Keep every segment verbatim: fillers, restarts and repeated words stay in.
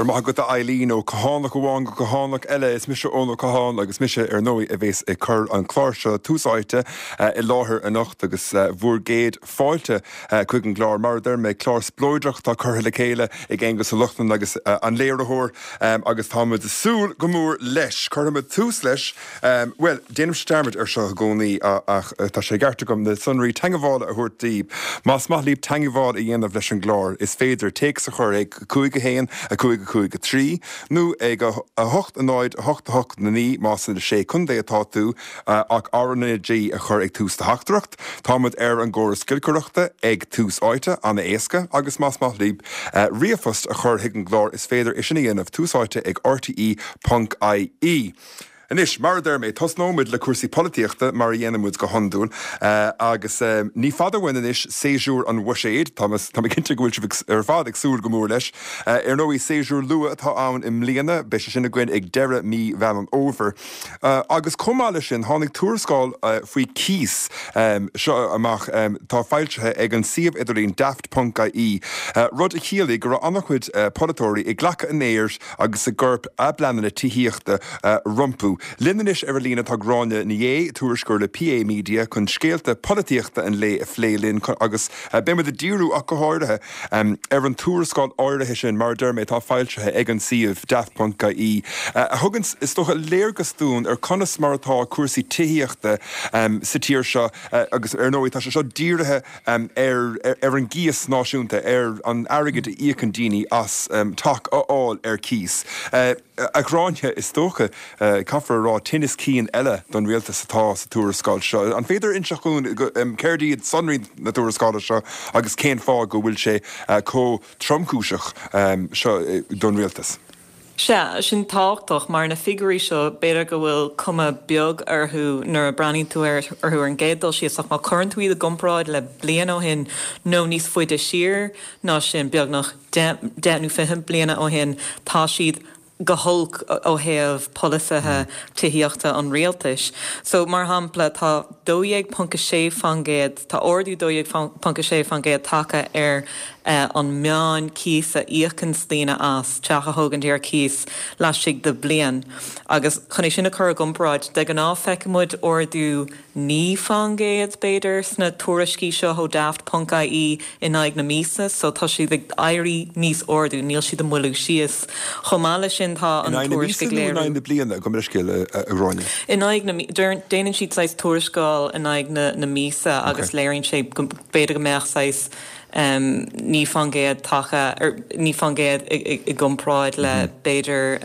Go raibh maith agat, a Eileen. Ó Cathánach amháin go Cathánach eile, is mise Eoin Ó Catháin agus mise ar ndóigh a bhéas ag cur an clár seo, Tús Áite, i láthair anocht agus bhur gcéad fáilte chuig an gclár. Mar a deir mé, clár spleodrach atá curtha le chéile ag Aonghus Ó Lochlainn agus an léiritheoir agus táimid ag súil go mór leis. Cuirfimid tús leis, bhuel, déanaimse dearmad ar seo i gcónaí ach tá sé i gceart agam na sonraí teagmhála a thabhairt daoibh. Más maith libh teagmháil a dhéanamh leis an gclár, is féidir téacs a chur ag cúig a haon, a cúig a cúig a trí, nó ag a hocht a náid a hocht a hocht a naoi más sna Sé Contae atá tú, ach R N A G a chur ag tús do theachtaireacht. Táimid ar an gcóras giolcaireachta ag Tús Áite, an-éasca, agus más maith libh ríomhphost a chur chuig an gclár is féidir é sin a dhéanamh, tús áite ag R T E ponc I E. Anois, mar a deir mé, tosnóimid le cúrsaí polaitíochta mar a dhéanaimid go hiondúil agus ní fada uainn anois séasúr an bhuiséid. Tá mé cinnte go bhfuil sibh ar fad ag súil go mór leis. Ar ndóigh, séasúr luath atá ann i mbliana, beidh sé sin againn ag deireadh mí Mheán an Fhómhair. Agus chomh maith leis sin, tháinig tuarascáil faoi cíos seo amach, tá foilsithe ag an suíomh idirlín daft ponc I E, rud a chiallaigh go raibh an-chuid polaiteoirí ag glacadh an aeir agus ag cur a bpleananna tithíochta rompu. Linn anois ar an líne tá Gráinne Ní Aodha, tuairisceoir le P A Media, chun scéalta polaitíochta an lae a phlé linn agus beimid ag díriú ach go háirithe ar an tuarascáil áirithe sin, mar a deir mé, atá foilsithe ag an suíomh daft ponc I E, a thugann, is dócha, léargas dúinn ar conas mar atá cúrsaí tithíochta sa tír seo agus ar ndóigh tá sé seo dírithe ar ar an gcíos náisiúnta, ar an airgead a íocann daoine as teach a fháil ar cíos. A Ghráinne, is dócha, caithfear a rá, tinneas cinn eile don rialtas atá sa tuarascáil seo. An féidir inseacht dúinn céard iad sonraí na tuarascála seo agus cén fáth go bhfuil sé chomh tromchúiseach seo don rialtas? Sea, sin tábhachtach mar na figiúirí seo, b'fhéidir go bhfuil cuma beag orthu nuair a breathnaíonn tú orthu ar an gcéad dul síos, ach má chuireann tú iad i gcomparáid le bliain ó shin nó níos faide siar ná sin, beagnach deich nó fiche bliana ó shin, tá siad go holc ó thaobh polasaithe tithíochta an rialtais. So mar shampla, tá dó dhéag ponc a sé faoin gcéad, tá ardú dó dhéag ponc a sé faoin gcéad tagtha ar an meán cíos a íocann daoine as teach a thógaint ar cíos laistigh de bliain. Agus chun é sin a chur i gcomparáid, de ghnáth feicimid ardú naoi faoin gcéad, b'fhéidir, sna tuairiscí seo ó daft ponc I E in aghaidh na míosa, so tá siad ag éirí níos airde, níl siad ag moilliú síos. Chomh maith leis sin, tá an tuairisc ag léiriú. In aghaidh na míosa nó in aghaidh na bliana, gabh mo leithscéal, a Ghráinne? In aghaidh na, déanann siad saghas tuarascáil in aghaidh na na míosa agus léiríonn sé go b'fhéidir go mbeadh saghas naoi faoin gcéad tagtha ar naoi faoin gcéad i gcomparáid le b'fhéidir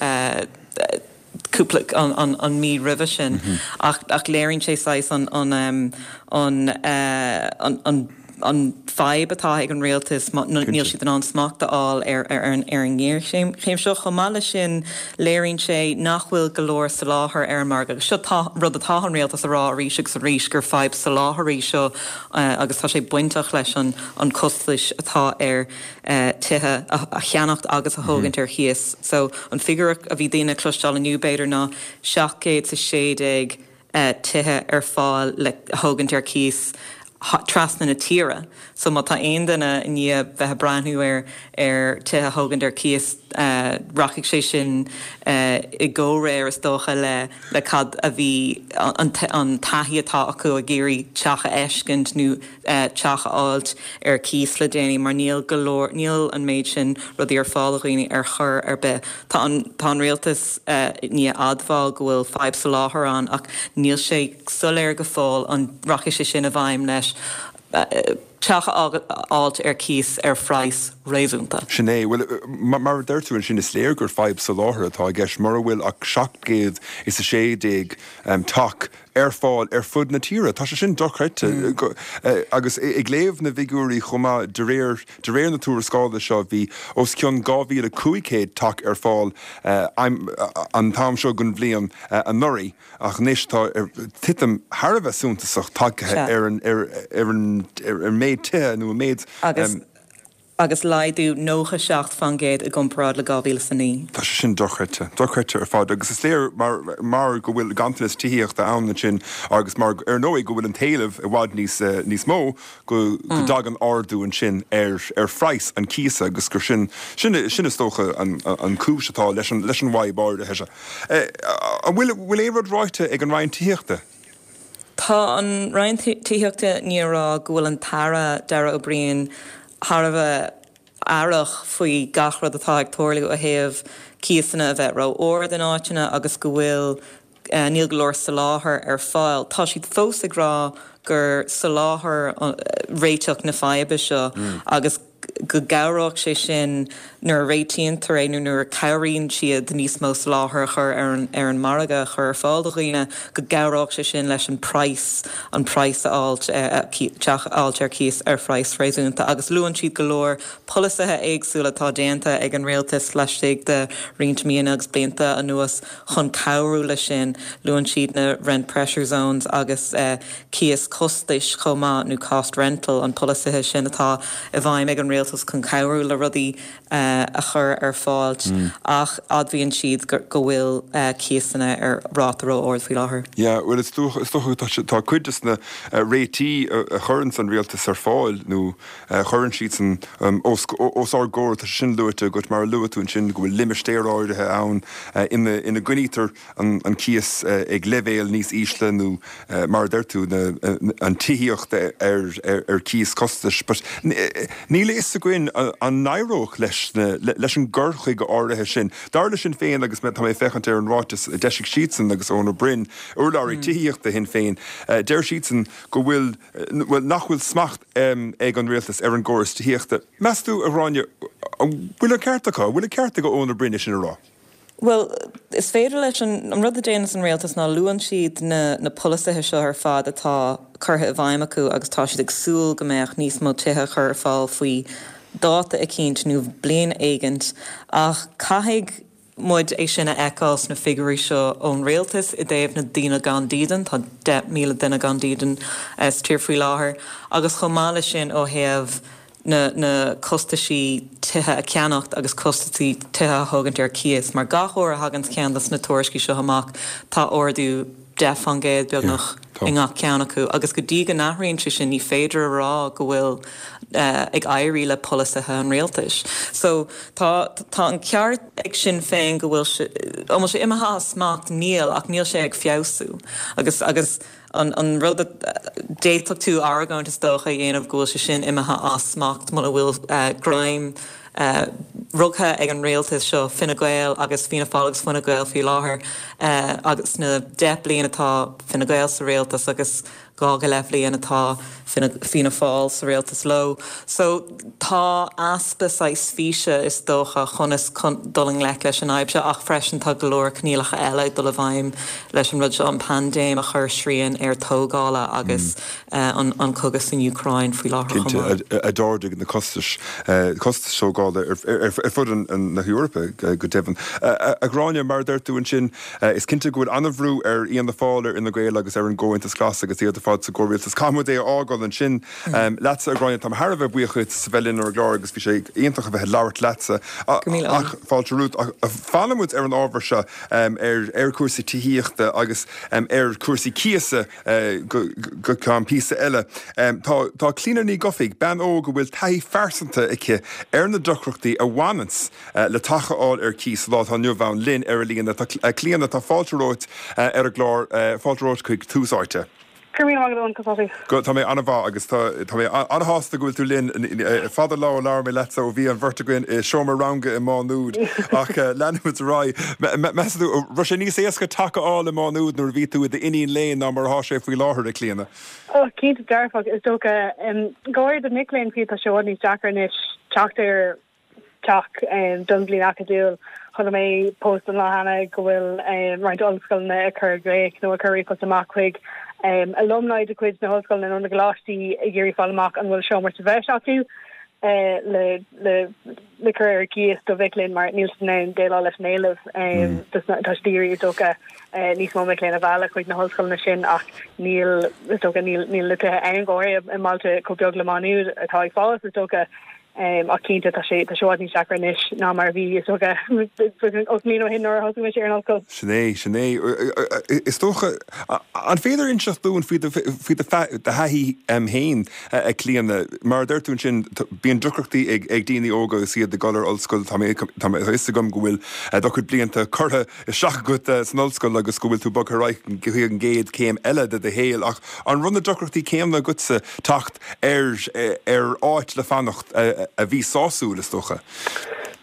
cúpla an, an, an mí roimhe sin ach, ach léiríonn sé saghas an, an, an, an, an an fadhb atá ag an rialtas, níl siad in ann smacht a fháil ar ar an ar an ngéarchéim seo. Chomh maith leis sin, léiríonn sé nach bhfuil go leor soláthar ar an margadh. Seo tá rud atá an rialtas a rá arís agus arís, gur fadhb soláthair í seo agus tá sé bainteach leis an an costais atá ar tithe a cheannacht agus a thógaint ar cíos. So an figiúr a bhí daoine cloisteáil inniu, b'fhéidir, ná seacht gcéad is a sé déag tithe ar fáil le thógaint ar cíos trasna na tíre. So má tá aon duine i ndiaidh bheith ag breathnú ar ar tithe thógaint ar cíos, rachaidh sé sin i gcomhréir, is dócha, le le cad a bhí an an taithí atá acu ag iarraidh teach a fheiscint nó teach a fháilt ar cíos le déanaí, mar níl go leor, níl an méid sin rudaí ar fáil do dhaoine ar chor ar bith. Tá an tá an rialtas i ndiaidh admháil go bhfuil fadhb soláthair ann ach níl sé soiléir go fóill an rachaidh sé sin i bhfeidhm leis teach a fháilt ar cíos ar phraghas réasúnta. Sin é. Bhuel, mar a deir tú ansin, is léir gur fadhb soláthair atá i gceist mura bhfuil ach seacht gcéad is a sé déag teach ar fáil ar fud na tíre. Tá sé sin dochreidte. Agus ag léamh na bhfigiúirí chomh maith, de réir de réir na tuarascála seo, bhí os cionn dhá mhíle cúig chéad teach ar fáil an t-am seo den bhliain anuraidh, ach anois tá titim thar a bheith suntasach tagtha ar an ar an ar an méid tithe nó an méid Agus agus laghdú nócha seacht faoin gcéad i gcomparáid le dhá mhíle is a naoi. Tá sé sin dochreidte, dochreidte ar fad agus is léir mar mar go bhfuil ganntanas tithíochta ann ansin agus mar ar ndóigh go bhfuil an t-éileamh i bhfad níos níos mó go go dtagann ardú ansin ar ar phraghas an chíosa agus gur sin sin sin is dócha an an cúis atá leis an leis an bhfadhb áirithe seo. An bhfuil bhfuil aon rud ráite ag an Roinn Tithíochta? Tá an Roinn Tithíochta i ndiaidh a rá go bhfuil an tAire Darragh O'Brien thar a bheith aireach faoi gach rud atá ag tarlú ó thaobh cíosanna a bheith ró-ard in áiteanna agus go bhfuil níl go leor soláthair ar fáil. Tá siad fós ag rá gur soláthar réiteach na faidhbe seo agus go gcabhródh sé sin nuair a réitíontar é nó nuair a chabhraíonn siad níos mó soláthair a chur ar an ar an margadh a chur ar fáil do dhaoine, go gcabhródh sé sin leis an praghas an praghas a fháilt teach a fháilt ar cíos ar phraghas réasúnta. Agus luann siad go leor polasaithe éagsúla atá déanta ag an rialtas laistigh de roinnt míonna agus blianta anuas chun cabhrú leis sin. Luann siad na rent pressure zones agus cíos costais chomh maith nó cost rental an polasaithe sin atá i bhfeidhm ag an rialtas chun cabhrú le rudaí a chur ar fáil ach admhaíonn siad go bhfuil cíosanna ar ráta ró-ard faoi láthair. Yeah, well is dócha is dócha tá tá cuid de na réitigh a chuireann an rialtas ar fáil nó a chuireann siadsan os os ár gcomhair tá sin luaite agat mar a luaigh tú ansin go bhfuil limistéir áirithe ann ina ina gcoinnítear an an cíos ag leibhéal níos ísle nó mar a deir tú na an tithíocht ar ar ar cíos costais, but níl a fhios againn an n-éireodh leis na leis an gcur chuige áirithe sin. Dar le Sinn Féin agus tá mé féachaint ar an ráiteas a d'eisigh siadsan agus Eoin Ó Broin, urlabhraí tithíochta Shinn Féin, deir siadsan go bhfuil well nach bhfuil smacht ag an rialtas ar an gcóras tithíochta. Meas tú a Ghráinne, an bhfuil an ceart acu, an bhfuil an ceart ag Eoin Ó Broin é sin a rá? Well, is féidir leis an an rud a déanann an rialtas ná luann siad na na polasaithe seo ar fad atá curtha i bhfeidhm acu agus tá siad ag súil go mbeadh níos mó tithe a chur ar fáil faoi dáta eicínt nó bliain éigint ach caithfidh muid é sin a fheiceáil sna figiúirí seo ón rialtas i dtaobh na daoine gan dídean, tá deich míle duine gan dídean sa tír faoi láthair agus chomh maith leis sin ó thaobh na na costaisí tithe a cheannacht agus costaisí tithe a thógaint ar cíos, mar gach uair a thagann ceann de na tuairiscí seo amach tá ardú deich faoin gcéad beagnach i ngach ceann acu agus go dtí go n-athraíonn sé sin ní féidir a rá go bhfuil ag éirí le polasaithe an rialtais. So tá tá an ceart ag Sinn Féin go bhfuil sé an bhfuil sé imithe as smacht níl ach níl sé ag feabhsú agus agus an an rud a d'fhéadfadh tú argóint is dócha a dhéanamh go bhfuil sé sin imithe as smacht muna bhfuil greim rugtha ag an rialtas seo Fine Gael agus Fianna Fáil agus Fine Gael faoi láthair agus na deich bliain atá Fine Gael sa rialtas agus dhá go leith bhliain atá Fianna Fáil sa rialtas leo. So tá easpa saghas físe is dócha conas dul i ngleic leis an fhadhb seo ach freisin tá go leor coinníollacha eile ag dul i bhfeidhm leis an rud seo an paindéim a chur srian ar tógála agus an an cogadh san Úcráin faoi láthair chomh maith. Cinnte, a d'ardaigh na costais costais tógála ar fud na hEorpa go deimhin. A Ghráinne, mar a deir tú ansin, is cinnte go bhfuil an-bhrú ar Fhianna Fáil, ar Fhine Gael agus ar an gComhaontas Glas agus iad ar fad sa gcomhrialtas. Caithfidh muid é a fhágáil ansin leatsa, a Ghráinne. Táim thar a bheith buíoch dhuit as a bheith linn ar an gclár agus bhí sé iontach a bheith ag labhairt leatsa. Ach fáilte romhat. Fanfaidh muid ar an ábhar seo ar ar chúrsaí tithíochta agus ar chúrsaí cíosa go go ceann píosa eile. Tá tá Clíona Ní Dhufaigh, bean óg a bhfuil taithí phearsanta aici ar na deacrachtaí a bhaineanns le teach a fháil ar cíos lá atá inniu ann linn ar an líne. Tá Clíona, tá fáilte romhat ar an gclár, fáilte romhat chuig Tús Áite. Go raibh míle maith agat, Eoin. Go, tá mé an-mhaith agus tá tá mé an-shásta go bhfuil tú linn. Fada lá ó labhair mé leatsa ó bhí an bheirt againn i seomra ranga i Má Nuad ach leanfaimid ar aghaidh. Meas tú, raibh sé níos éasca teach a fháil i Má Nuad nuair a bhí tú i d'iníon léinn ná mar atá sé faoi láthair, a Chlíona? Ó, cinnte dearfach, is dócha. Go háirithe do mic léinn fiú tá sé i bhfad níos deacra anois teacht ar teach don bhliain acadúil. Chonaic mé post an lá cheana go bhfuil roinnt ollscoileanna ag cur glaoch nó ag cur ríomhphost amach chuig alumni de chuid na hollscoileanna nó na gcoláistí ag iarraidh fáil amach an bhfuil seomra sa bhreis acu le le le cur ar cíos do mhic léinn mar níl siad in ann déileáil leis an éileamh. Tá siad ag iarraidh is dócha níos mó mic léinn a mhealladh chuig na hollscoileanna sin ach níl is dócha níl níl na tithe ann go háirithe i mbailte chomh beag le Má Nuad atá ag fás is dócha. Ach cinnte tá sé tá sé i bhfad níos deacra anois ná mar a bhí is dócha ocht mbliana ó shin nuair a thosaigh mise ar an ollscoil. Sin é, sin é. Is dócha, an féidir inseacht dúinn faoi do faoi do thaithí féin, a Chlíona? Mar a deir tú ansin, bíonn deacrachtaí ag ag daoine óga agus iad ag dul ar ollscoil. Tá mé tá mé a fhios agam go bhfuil do chuid blianta curtha isteach agat san ollscoil agus go bhfuil tú bogtha ar aghaidh go chuig an gcéad céim eile de do shaol ach an raibh na deacrachtaí céanna agatsa teacht ar ar áit le fanacht a bhí sásúil, is dócha?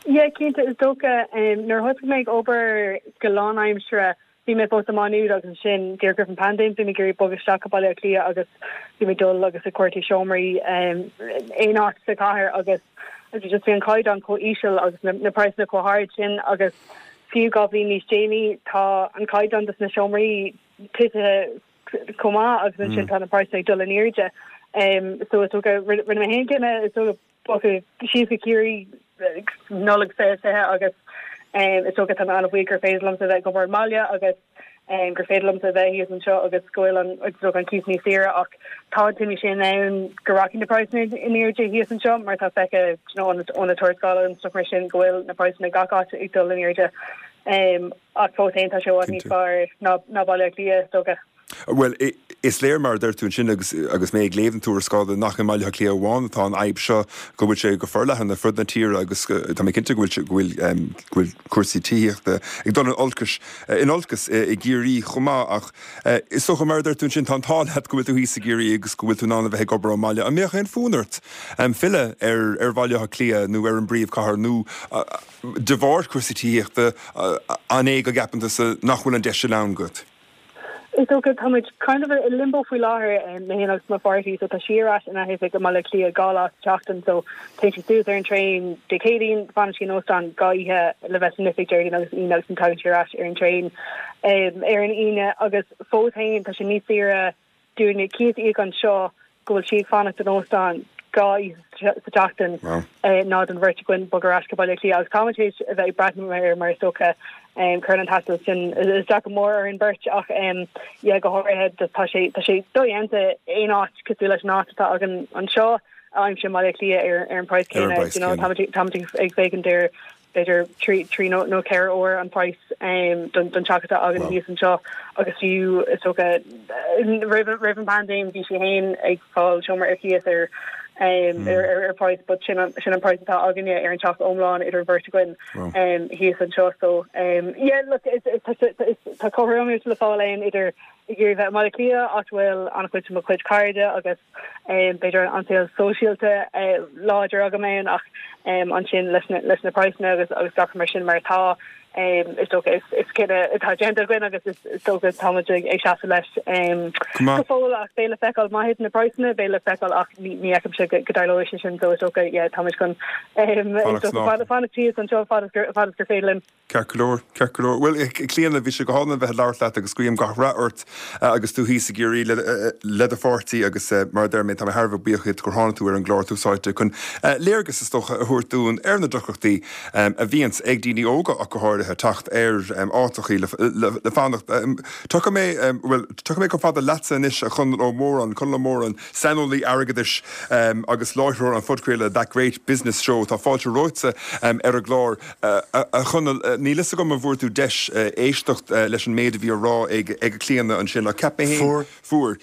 Yeah, cinnte, is dócha nuair a thosaigh mé ag obair go lánaimseartha bhí mé fós i Má Nuad agus ansin díreach roimh an paindéim bhí mé ag iarraidh bogadh isteach go Baile Átha Cliath agus bhí mé ag dul agus ag cuartú seomraí aon áit sa chathair agus just bhí an caighdeán chomh íseal agus na, na praghsanna chomh hard sin agus fiú dhá bhliain níos déanaí tá an caighdeán dos na seomraí titithe chomh maith agus ansin tá na praghsanna ag dul in airde. Um, so is dócha rinne mé féin cinneadh is dócha bogadh síos go Ciarraí Nollaig fiche fiche agus um, is dócha tá mé an-bhuíoch gur féidir liomsa bheith ag obair ón mbaile agus um, gur féidir liomsa bheith thíos anseo agus go bhfuil an is dócha an cíos níos saoire ach tá an t-imní sin ann go rachaidh na praghsanna in airde thíos anseo mar tá feicthe you know, ó na tuarascálacha and stuff mar sin go bhfuil na praghsanna gach áit ag dul in airde. Um, ach fós féin tá sé i bhfad níos fearr ná ná Baile Átha Cliath is dócha. Bhuel, is léir mar a deir tú ansin agus agus mé ag léamh an tuarascála nach i mBaile Átha Cliath amháin atá an fhadhb seo, go bhfuil sé go forleathan ar fud na tíre agus tá mé cinnte go bhfuil go bhfuil go bhfuil cúrsaí tithíochta ag dul in olcas in olcas i gCiarraí chomh maith ach is dócha mar a deir tú ansin tá an t-ádh leat go bhfuil tú thíos i gCiarraí agus go bhfuil tú in ann a bheith ag obair ón mbaile. An mbeadh aon fhonn ort filleadh ar ar Bhaile Átha Cliath nó ar an bpríomhchathair nó de bharr cúrsaí tithíochta an é go gceapann tusa nach bhfuil an deis sin ann agat? Is dócha tá muid kind of i limbo faoi láthair mé féin agus mo pháirtí so tá sí ar ais ina hoifig i mBaile Átha Cliath dhá lá sa tseachtain so téann sí suas ar an traein Dé Céadaoin fanann sí in óstán dhá oíche le bheith san oifig Déardaoin agus Aoine agus tagann sí ar ais ar an traein um, ar an Aoine agus fós féin tá sé níos saoire dúinne cíos a íoc anseo go bhfuil sí ag fanacht in óstán dhá oíche sa tseachtain ná don bheirt againn bogadh ar ais go Baile Átha Cliath agus táimid théis a bheith ag breathnú air mar is dócha cuireann an taisteal sin isteach go mór ar an beirt ach yeah go háirithe tá sé tá sé dodhéanta aon áit cosúil leis an áit atá againn anseo a aimsiú i mBaile Átha Cliath ar ar an praghas céanna you know táimid ag féachaint ar b'fhéidir trí trí nó nó ceithre uair an praghas um, don don teach atá againn thíos anseo agus fiú is dócha roimh roimh an bpaindéim bhí sí féin ag fáil seomra ar cíos ar um, ar ar ar praghas but sin an sin an praghas atá againne ar an teach iomlán idir bheirt againn um, thíos anseo so um, yeah look is is is tá cothromaíocht le fáil ann idir ag iarraidh bheith i mBaile Átha Cliath áit a bhfuil an-chuid de mo chuid cairde agus um, b'fhéidir an saol sóisialta uh, láidir agam ann ach um, ansin leis na leis na praghsanna agus agus gach mar sin mar atá um, is dócha is is cinneadh atá déanta againn agus is is dócha táimid ag ag seasamh leis um, go fóill ach beidh le feiceáil má thiteann na praghsanna beidh le feiceáil ach ní ní fheicimse go go dtarlóidh sé sin so is dócha yeah, táimid chun um, is dócha fanacht thíos anseo fad is gur fad is gur féidir linn. Ceart go leor, ceart go leor. Bhuel, Clíona, bhí sé go hálainn bheith ag labhairt leat agus guím gach rath ort agus tú thíos i gCiarraí le do pháirtí agus mar a deir mé tá mé thar a bheith buíoch díot gur tháinig tú ar an gclár Tús Áite chun léargas is dócha a thabhairt dúinn ar na deacrachtaí a bhíonns ag daoine óga ach go háirithe teacht ar áiteachaí le fanacht. Tiocfaidh mé, bhuel, tiocfaidh mé chomh fada leatsa anois a Chonall Ó Móráin, Conall Ó Móráin, saineolaí airgeadais agus láithreoir an phodchraoladh That Great Business Show. Tá fáilte romhat ar an gclár a Chonaill. Níl fhios agam an bhfuair tú deis éisteacht leis an méid a bhí á rá ag ag Clíona ansin ach cheap mé féin Fuair.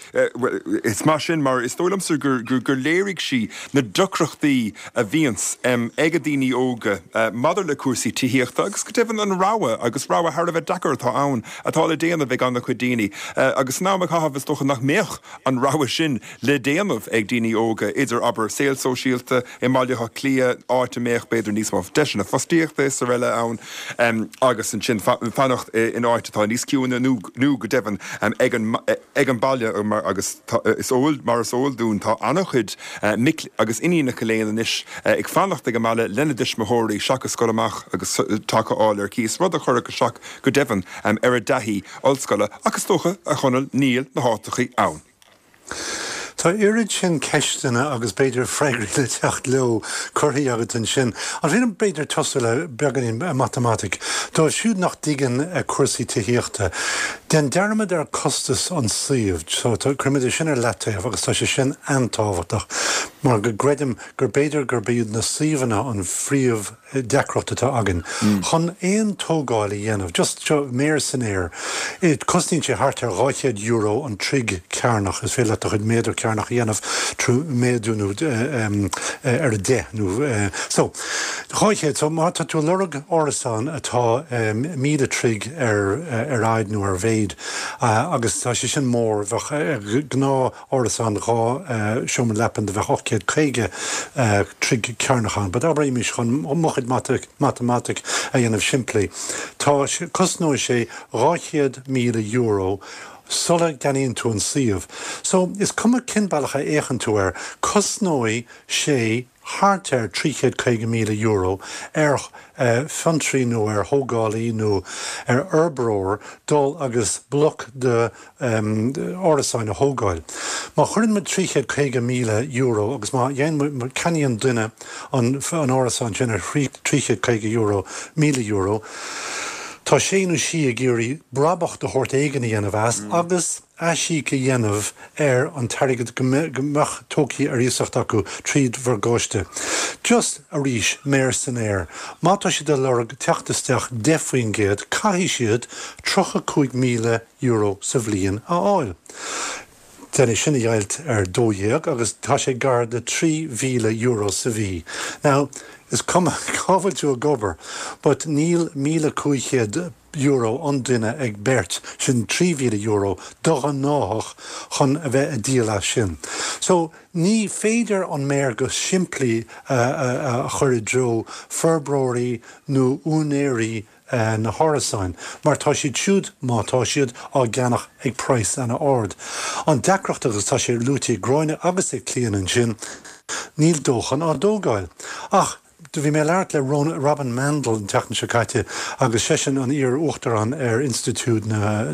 Is maith sin mar is dóigh liomsa gur gur gur léirigh sí na deacrachtaí a bhíonns ag daoine óga maidir le cúrsaí tithíochta agus go deimhin an rogha agus rogha thar a bheith deacair atá ann atá le déanamh ag an-chuid daoine agus san am a caitheamh is dócha nach mbeadh an rogha sin le déanamh ag daoine óga idir abair saol sóisialta i mBaile Átha Cliath áit a mbeadh b'fhéidir níos mó deiseanna fostaíochta is araile ann agus ansin fanacht in áit atá níos ciúine nó nó go deimhin ag an ag an baile mar agus is eol mar is eol dúinn tá an-chuid mic agus iníonacha léinn anois ag fanacht ag an mbaile lena dtuismitheoirí seachas dul amach agus teach a fháil ar cíos, rud a chuirfeadh isteach go deimhin ar a dtaithí ollscoile ach is dócha a Chonaill níl na háiteachaí ann. Tá oiread sin ceisteanna agus b'fhéidir freagraí le teacht leo curtha agat ansin. An féidir b'fhéidir tosú le beagáinín matamaitic, dóibh siúd nach dtuigeann cúrsaí tithíochta. Déan dearmad ar costas an suíomh, so cuirimid é sin ar leataobh agus tá sé sin an-tábhachtach mar go gcreidim gur b'fhéidir gurb iad na suíomhanna an phríomh deacracht atá againn. Chun aon tógáil a dhéanamh, just seo méar san aer, cosnaíonn sé thart ar dhá chéad euro an troigh cearnach, is féidir leat do chuid méadar cearnach a dhéanamh trí méadú nó ar a deich nó so dhá chéad, so má tá tú ag lorg árasán atá míle troigh ar ar fhaid nó ar mhéid agus tá sé sin mór, bheadh gnáth árasán dhá seomra leapan do bheadh ocht gcéad caoga troigh cearnach ann, but abraimis chun mo chuid matamaitic a dhéanamh simplí, tá cosnóidh sé dhá chéad míle euro sula gceannaíonn tú an suíomh. So, is cuma cén bealach a fhéachann tú air, cosnóidh sé thart ar trí chéad caoga míle euro ar fiontraí nó ar thógálaí nó ar fhorbróir dul agus bloc de árasáin a thógáil. Má chuireann muid trí chéad caoga míle euro agus má dhéanann, ceannaíonn duine an árasán sin ar trí chéad caoga euro, míle euro, tá sé nó sí ag iarraidh brabach de shórt éigin a dhéanamh as agus aisíoc a dhéanamh ar an t-airgead go mbeadh tógtha ar iasacht acu tríd mhorgáiste. Just, arís, méar san aer. Má tá siad ag lorg teacht isteach deich faoin gcéad, caithfidh siad tríocha cúig míle euro sa bhliain a fháil. Déan é sin a dheighilt ar dó dhéag agus tá sé gar do trí mhíle euro sa mhí. Now, is cuma cá bhfuil tú ag obair, but níl míle cúig chéad euro an duine ag beirt, sin trí mhíle euro do ghnáthach chun a bheith ag díol as sin. So, ní féidir an méar go simplí a chur i dtreo forbróirí nó úinéirí na hárasáin, mar tá siad siúd, má tá siad, á gceannach ag praghas ana-ard. An deacracht, agus tá sé luaite ag Gráinne agus ag Clíona ansin, níl dóthain á dtógáil. Ach do bhí mé ag labhairt le Robin Mandel an tseachtain seo caite agus seisean an iar-uachtarán ar Institiúid na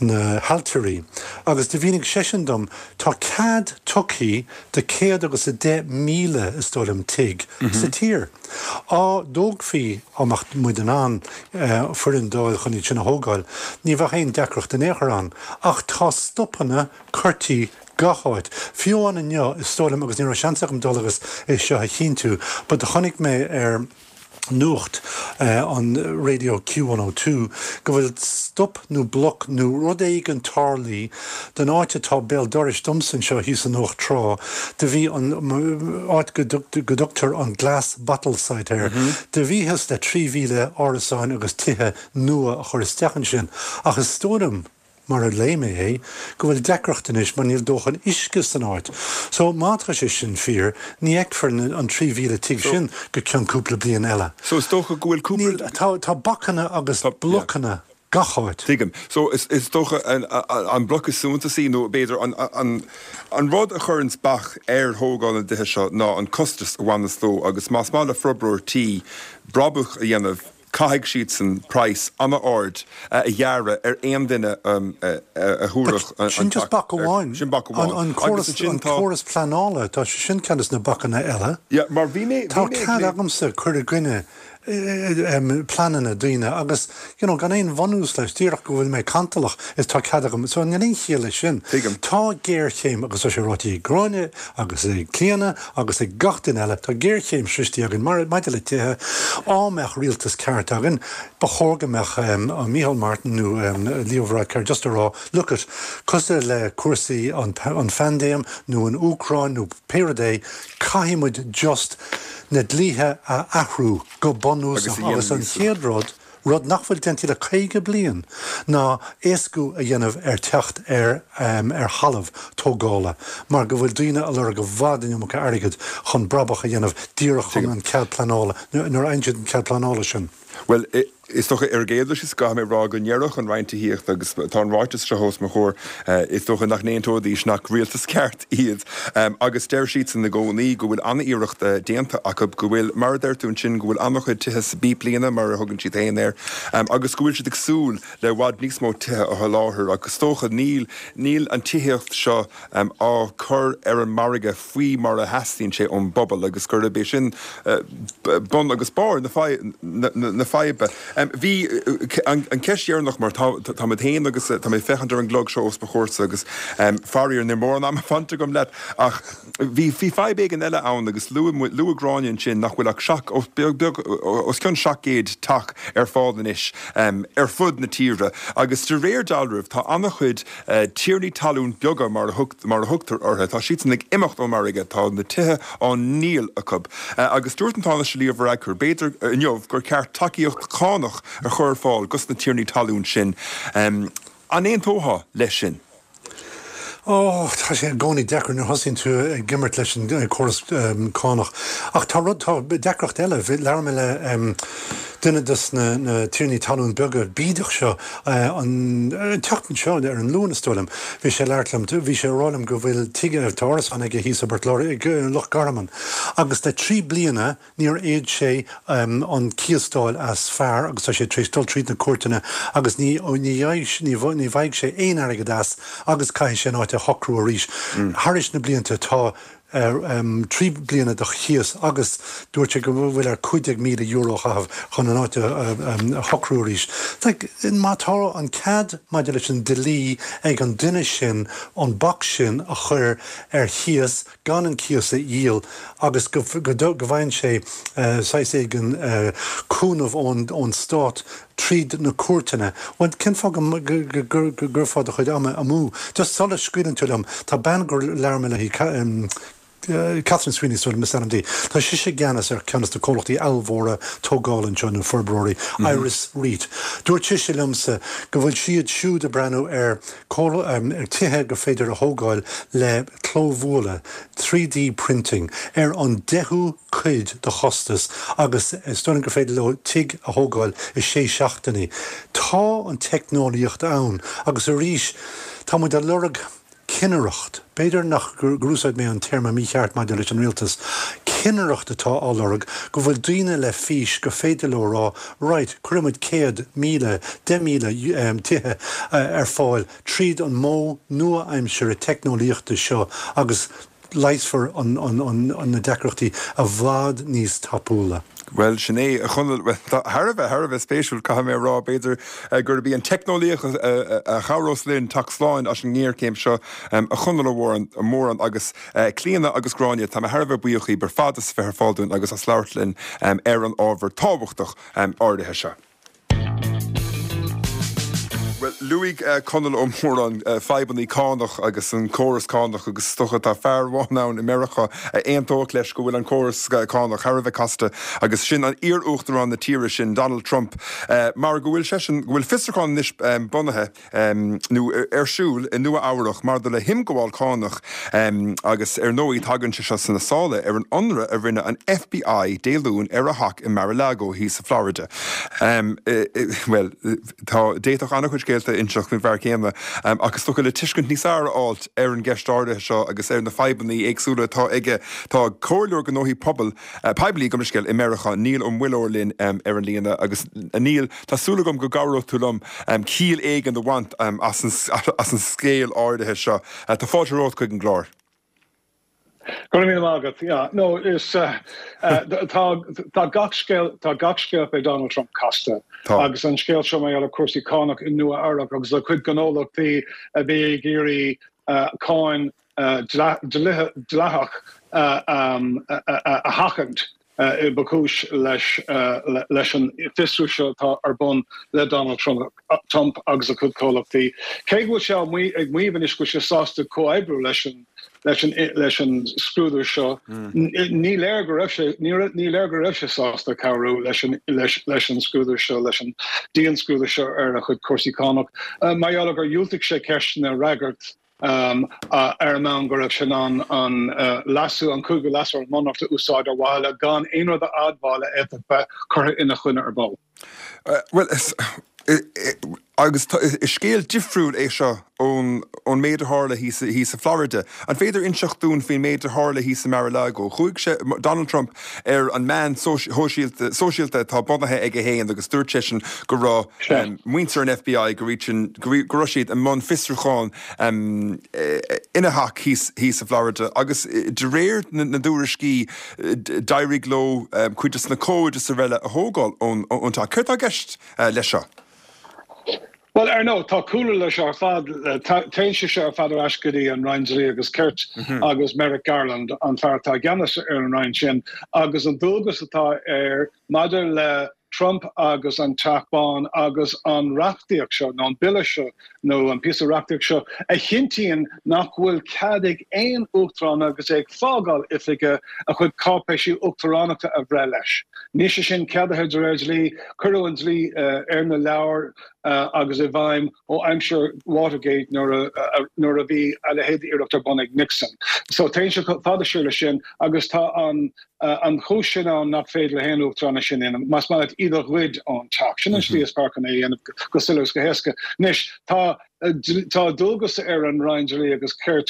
na hAiltirí agus do mhínigh seisean dom tá cead tugtha do céad agus a deich míle, is dóigh liom, tigh sa tír. Á dtógfaí, á mbeadh muid in ann foireann d'fháil chun iad sin a thógáil, ní bheadh aon deacracht in aon chor ann. Ach tá stopanna curtha gach áit. Fiú amháin inniu, is dóigh liom, agus ní raibh seans agam dul agus é seo a chinntiú, but do chonaic mé ar nuacht an raidió Q one oh two go bhfuil stop nó bloc nó rud éigin tarlaithe don áit atá béal dorais domsa anseo thíos in Uaimh Trá, do bhí an áit go dtugtar an Glass Bottle Site air, do bhíothas le trí mhíle árasáin agus tithe nua a chur isteach ansin ach is dóigh liom, mar a léigh mé é, go bhfuil deacracht anois mar níl dóthain uisce san áit. So, má tá sé sin fíor, ní fheicfear an trí mhíle tigh sin go ceann cúpla bliain eile. So, is dócha go bhfuil cúpla. Níl, tá, tá bacanna agus blocanna gach áit. Tuigim. So, is, is dócha an, an bloc is suntasaí nó b'fhéidir an, an, an rud a chuireanns bac ar thógáil na dtithe seo ná an costas a bhaineas leo agus más maith le forbróir tí brabach a dhéanamh, Caithfidh siadsan praghas an-ard a ghearradh ar aon duine a thabharfadh an Sin just bac amháin. Sin bac amháin. An córas pleanála, tá sé sin ceann des na bacanna eile. Yeah, mar bhí mé. Tá cead agamsa cur i gcoinne pleananna daoine agus, you know, gan aon bhunús leis, díreach go bhfuil mé cantalach is tá cead agam. So níl aon chiall leis sin. Tuigim. Tá géarchéim agus tá sé ráite ag Gráinne agus ag Clíona agus ag gach duine eile, tá géarchéim sroichte againn maidir le tithe. Á mbeadh rialtas ceart againn, ba chóir go mbeadh Micheál Martin nó Leo Varadkar just a rá, look it, cosúil le cúrsaí an phaindéim nó an Úcráin nó pé rud é, caithfidh muid just na dlíthe a athrú go bunúsach agus an chéad rud, rud nach bhfuil déanta le caoga bliain, ná éascú a dhéanamh ar teacht ar ar thalamh tógála mar go bhfuil daoine ag lorg i bhfad an iomarca airgid chun brabach a dhéanamh díreach chun an cead pleanála, nuair a fhaigheann siad an cead pleanála sin. Bhuel, is dócha ar an gcéad dul síos caithfidh mé a rá go ndéarfadh an Roinn Tithíochta, agus tá an ráiteas seo os mo chomhair, is dócha nach n-aontóidís nach rialtas ceart iad, agus deir siadsan i gcónaí go bhfuil an-iarracht déanta acu, go bhfuil, mar a deir tú ansin, go bhfuil an-chuid tithe sa bpíblíne, mar a thugann siad féin air, agus go bhfuil siad ag súil le i bhfad níos mó tithe a sholáthar. Ach is dócha níl, níl an tithíocht seo á cur ar an margadh faoi mar a theastaíonn sé ón bpobal agus gurb é sin bun agus barr na faidhbe. Bhí an cheist dheireanach mar tá muid féin agus tá mé ag féachaint ar an gclog seo os mo chomhairsa agus faraor níl mórán ama fanta agam leat ach bhí fadhb éigin eile ann agus luaigh Gráinne ansin nach bhfuil ach seacht, beag os cionn seacht gcéad teach ar fáil anois ar fud na tíre agus de réir dealraimh tá an-chuid tiarnaí talún beaga mar a thugtar orthu, tá siadsan ag imeacht ón margadh, tá na tithe á ndíol acu. Agus dúirt an Tánaiste Leo Varadkar, b'fhéidir, inniu gur ceart tacaíocht chánach a chur ar fáil dos na tiarnaí talún sin. An aontófá leis sin? Ó, tá sé i gcónaí deacair nuair a thosaíonn tú ag imirt leis an córas cánach. Ach tá rud, tá deacracht eile. Labhair mé le duine de na tiarnaí talún beaga bídeach seo an tseachtain seo, ar an Luan is dóigh liom. Bhí sé ag labhairt liom, bhí sé ag rá liom go bhfuil tigh, tá árasán aige thíos i bPort Láirge, i Loch Garman, agus le trí bliana níor fhéad sé an cíos d'fháil as fear agus tá sé tar éis dul tríd na cúirteanna agus ní ní ní bhfaighidh sé aon airgead as agus caithfidh sé an áit a shocrú arís. Thairis na blianta tá trí bliana de chíos agus dúirt sé go bhfuil air cúig déag míle euro a chaitheamh chun an áit a shocrú arís. Má tá an cead maidir leis an dlí ag an duine sin an bac sin a chur ar chíos gan an cíos a dhíol agus go bhfaigheann sé saghas éigin cúnamh ón stát tríd na cúirteanna. Bhuel, cén fáth go gcuirfeá do chuid ama amú? Just sula scaoileann tú liom, tá bean gur labhair mé léi, Catherine Sweeney is dóigh liom is ainm di, tá sise i gceannas ar cheann de na comhlachtaí ollmhóra tógála anseo, nó forbróirí, Iris REIT. Dúirt sise liomsa go bhfuil siad siúd ag breathnú ar ar tithe gur féidir a thógáil le clóbhualadh, three D printing, ar an deichiú cuid de chostas agus is dóigh liom gur féidir leo tigh a thógáil i sé seachtainí. Tá an teicneolaíocht ann agus arís tá muid ag lorg cinnireacht. B'fhéidir nach gur úsáid mé an téarma mícheart maidir leis an rialtas. Cinnireacht atá á lorg, go bhfuil daoine le fís gur féidir leo a rá, right, cuirfidh muid céad míle, deich míle tithe ar fáil tríd an modh nua-aimsire teicneolaíochta seo agus leigheasfar na deacrachtaí i bhfad níos tapúla. Bhuel, sin é, a Chonaill. Bhuel, tá thar a bheith, thar a bheith spéisiúil, caithfidh mé a rá. B'fhéidir gurb í an teicneolaíocht a chabhrós linn teacht slán as an ngéarchéim seo, a Chonaill Ó Móráin agus Clíona agus Gráinne. Tá mé thar a bheith buíoch dhíbh ar fad as a bheith ar fáil dúinn agus as labhairt linn ar an ábhar tábhachtach áirithe seo. Bhuel, luaigh Conall Ó Móráin fadhbanna cánach agus an córas cánach agus is dócha tá fear amháin ann i Meiriceá a aontódh leis go bhfuil an córas cánach thar a bheith casta agus sin an iar-uachtarán na tíre sin, Donald Trump, mar go bhfuil seisean, go bhfuil fiosrúchán anois bunaithe nó ar siúl i Nua Eabhrach maidir le himghabháil cánach agus ar ndóigh tagann sé seo sna sála ar an ionradh a rinne an FBI Dé Luain ar a theach i Mar-a-Lago thíos i Florida. Bhuel, tá, d'fhéadfadh an-chuid scéalta a inseacht faoin bhfear céanna, ach is dócha le tuiscint níos fearr a fháilt ar an gceist áirithe seo agus ar na fadhbanna éagsúla atá aige, tá Comhairleoir Gnóthaí Pobail, Poiblí, gabh mo leithscéal, i Meiriceá, Niall Ó Muilleoir linn ar an líne agus, a Niall, tá súil agam go gcabhróidh tú liom ciall éigin a bhaint as an scéal áirithe seo. Tá fáilte romhat chuig an gclár. Go raibh míle maith agat. Yeah, no, is tá tá gach scéal tá gach scéal fé Donald Trump casta. Tá. Agus an scéal seo mar gheall ar cúrsaí cánach i Nua Eabhrac agus a chuid gnólachtaí a bhí ag iarraidh cáin dleathach a sheachaint. ba chúis leis leis an fiosrú seo atá ar bun le Donald Trump agus a chuid comhlachtaí. Cé go bhfuil sé ag maíomh anois go bhfuil sé sásta comhoibriú leis an leis an leis an scrúdú seo, ní léir go raibh sé ní léir go raibh sé sásta cabhrú leis an leis leis an scrúdú seo, leis an dianscrúdú seo ar a chuid cúrsaí cánach. Mar gheall gur dhiúltaigh sé ceisteanna a fhreagairt. ar an mbonn go raibh sé in ann an leasú, an cúigiú leasú ar an mBunreacht a úsáid ar mhaithe le gan aon rud a admháil a fhéadfadh bheith curtha ina choinne ar ball. Bhuel, agus is scéal difriúil é seo ón ón méid a tharla thíos thíos i Florida. An féidir inseacht dúinn faoin méid a tharla thíos i Mar-a-Lago? Chuaigh sé, Donald Trump, ar an meán sóisialta sóisialta atá bunaithe aige féin agus dúirt seisean go raibh muintir an FBI go go raibh siad i mbun fiosrúcháin ina theach thíos thíos i Florida agus de réir na dtuairiscí d'éirigh leo cuid de na comhaid is araile a thógáil ón ón teach. Céard atá i gceist leis seo? Bhuel, ar ndóigh, tá cúlra leis seo ar fad. Téann sé seo ar fad ar ais go dtí an Roinn Dlí agus Cirt agus Merrick Garland, an fear atá i gceannas ar an Roinn sin, agus an dualgas atá air maidir le Trump agus an Teach Bán agus an reachtaíocht seo, nó an bille seo, nó an píosa reachtaíocht seo, a chinntíonn nach bhfuil cead ag aon uachtarán agus é ag fágáil oifige a chuid cáipéisí uachtaránachta a bhreith leis. Níl sé sin ceadaithe de réir dlí. Cuireadh an dlí ar na leabhair agus i bhfeidhm ó aimsir Watergate nuair a nuair a bhí a leithéid d'iarracht ar bun ag Nixon. So téann sé fada siar leis sin agus tá an an chúis sin ann nach féidir le haon uachtarán é sin a dhéanamh, más maith leat iad a ghoid ón teach. Sin an slí is fearr chun é a dhéanamh go soiléir agus go héasca. Anois tá Tá dualgas ar an Roinn Dlí agus Cirt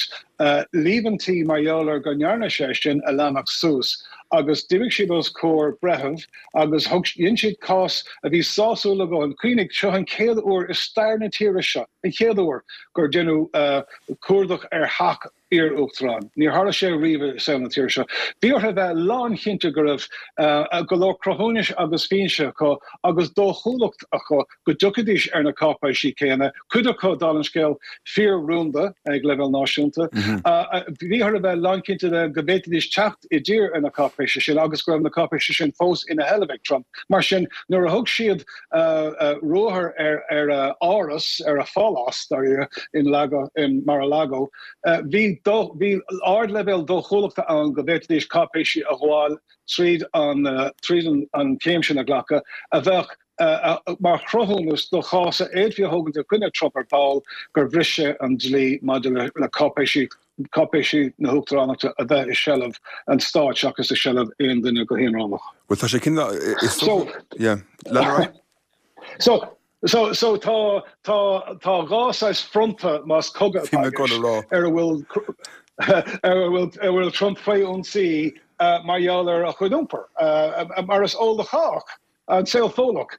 líomhaintí mar gheall ar go ndearna sé sin a leanacht suas agus d'imigh siad os comhair breithimh agus thug, dhein siad cás a bhí sásúil a dhóthain. Cuimhnigh, seo an chéad uair i stair na tíre seo, an chéad uair, gur deineadh cuardach ar theach iar-uachtaráin. Níor tharla sé riamh i saol na tíre seo. Bhí orthu a bheith lánchinnte go raibh go leor cruthúnais agus fianaise acu agus dóchúlacht acu go dtiocfaidís ar na cáipéisí céanna, cuid acu, dála an scéil, fíor-rúnda ag leibhéal náisiúnta. Bhí orthu a bheith lánchinnte de go bhféadfaidís teacht i dtír ar na cáipéisí sin agus go raibh na cáipéisí sin fós ina sheilbh ag Trump. Mar sin, nuair a thug siad ruathar ar a áras, ar a phálás, dáiríre, in Mar-a-Lago, bhí bhí ardleibhéal dóchúlachta ann go bhféadfaidís cáipéisí a ghabháil tríd an tríd an chéim sin a ghlacadh a bheadh mar chruthúnas do chás a fhéadfaí a thógaint i gcoinne Trump ar ball gur bhris sé an dlí maidir le cáipéisí cáipéisí na huachtaránachta a bheith i seilbh an stáit seachas i seilbh aon duine go haonaránach. Bhuel tá sé cineál is dócha yeah lean ar aghaidh. So So, so tá, tá, tá dhá saghas fronta más cogadh Bhí atá mé i ag dul a gceist rá. ar a bhfuil ar a bhfuil ar a bhfuil Trump faoi ionsaí mar gheall ar a chuid iompair. Mar is eol do chách, an saol Fódlach,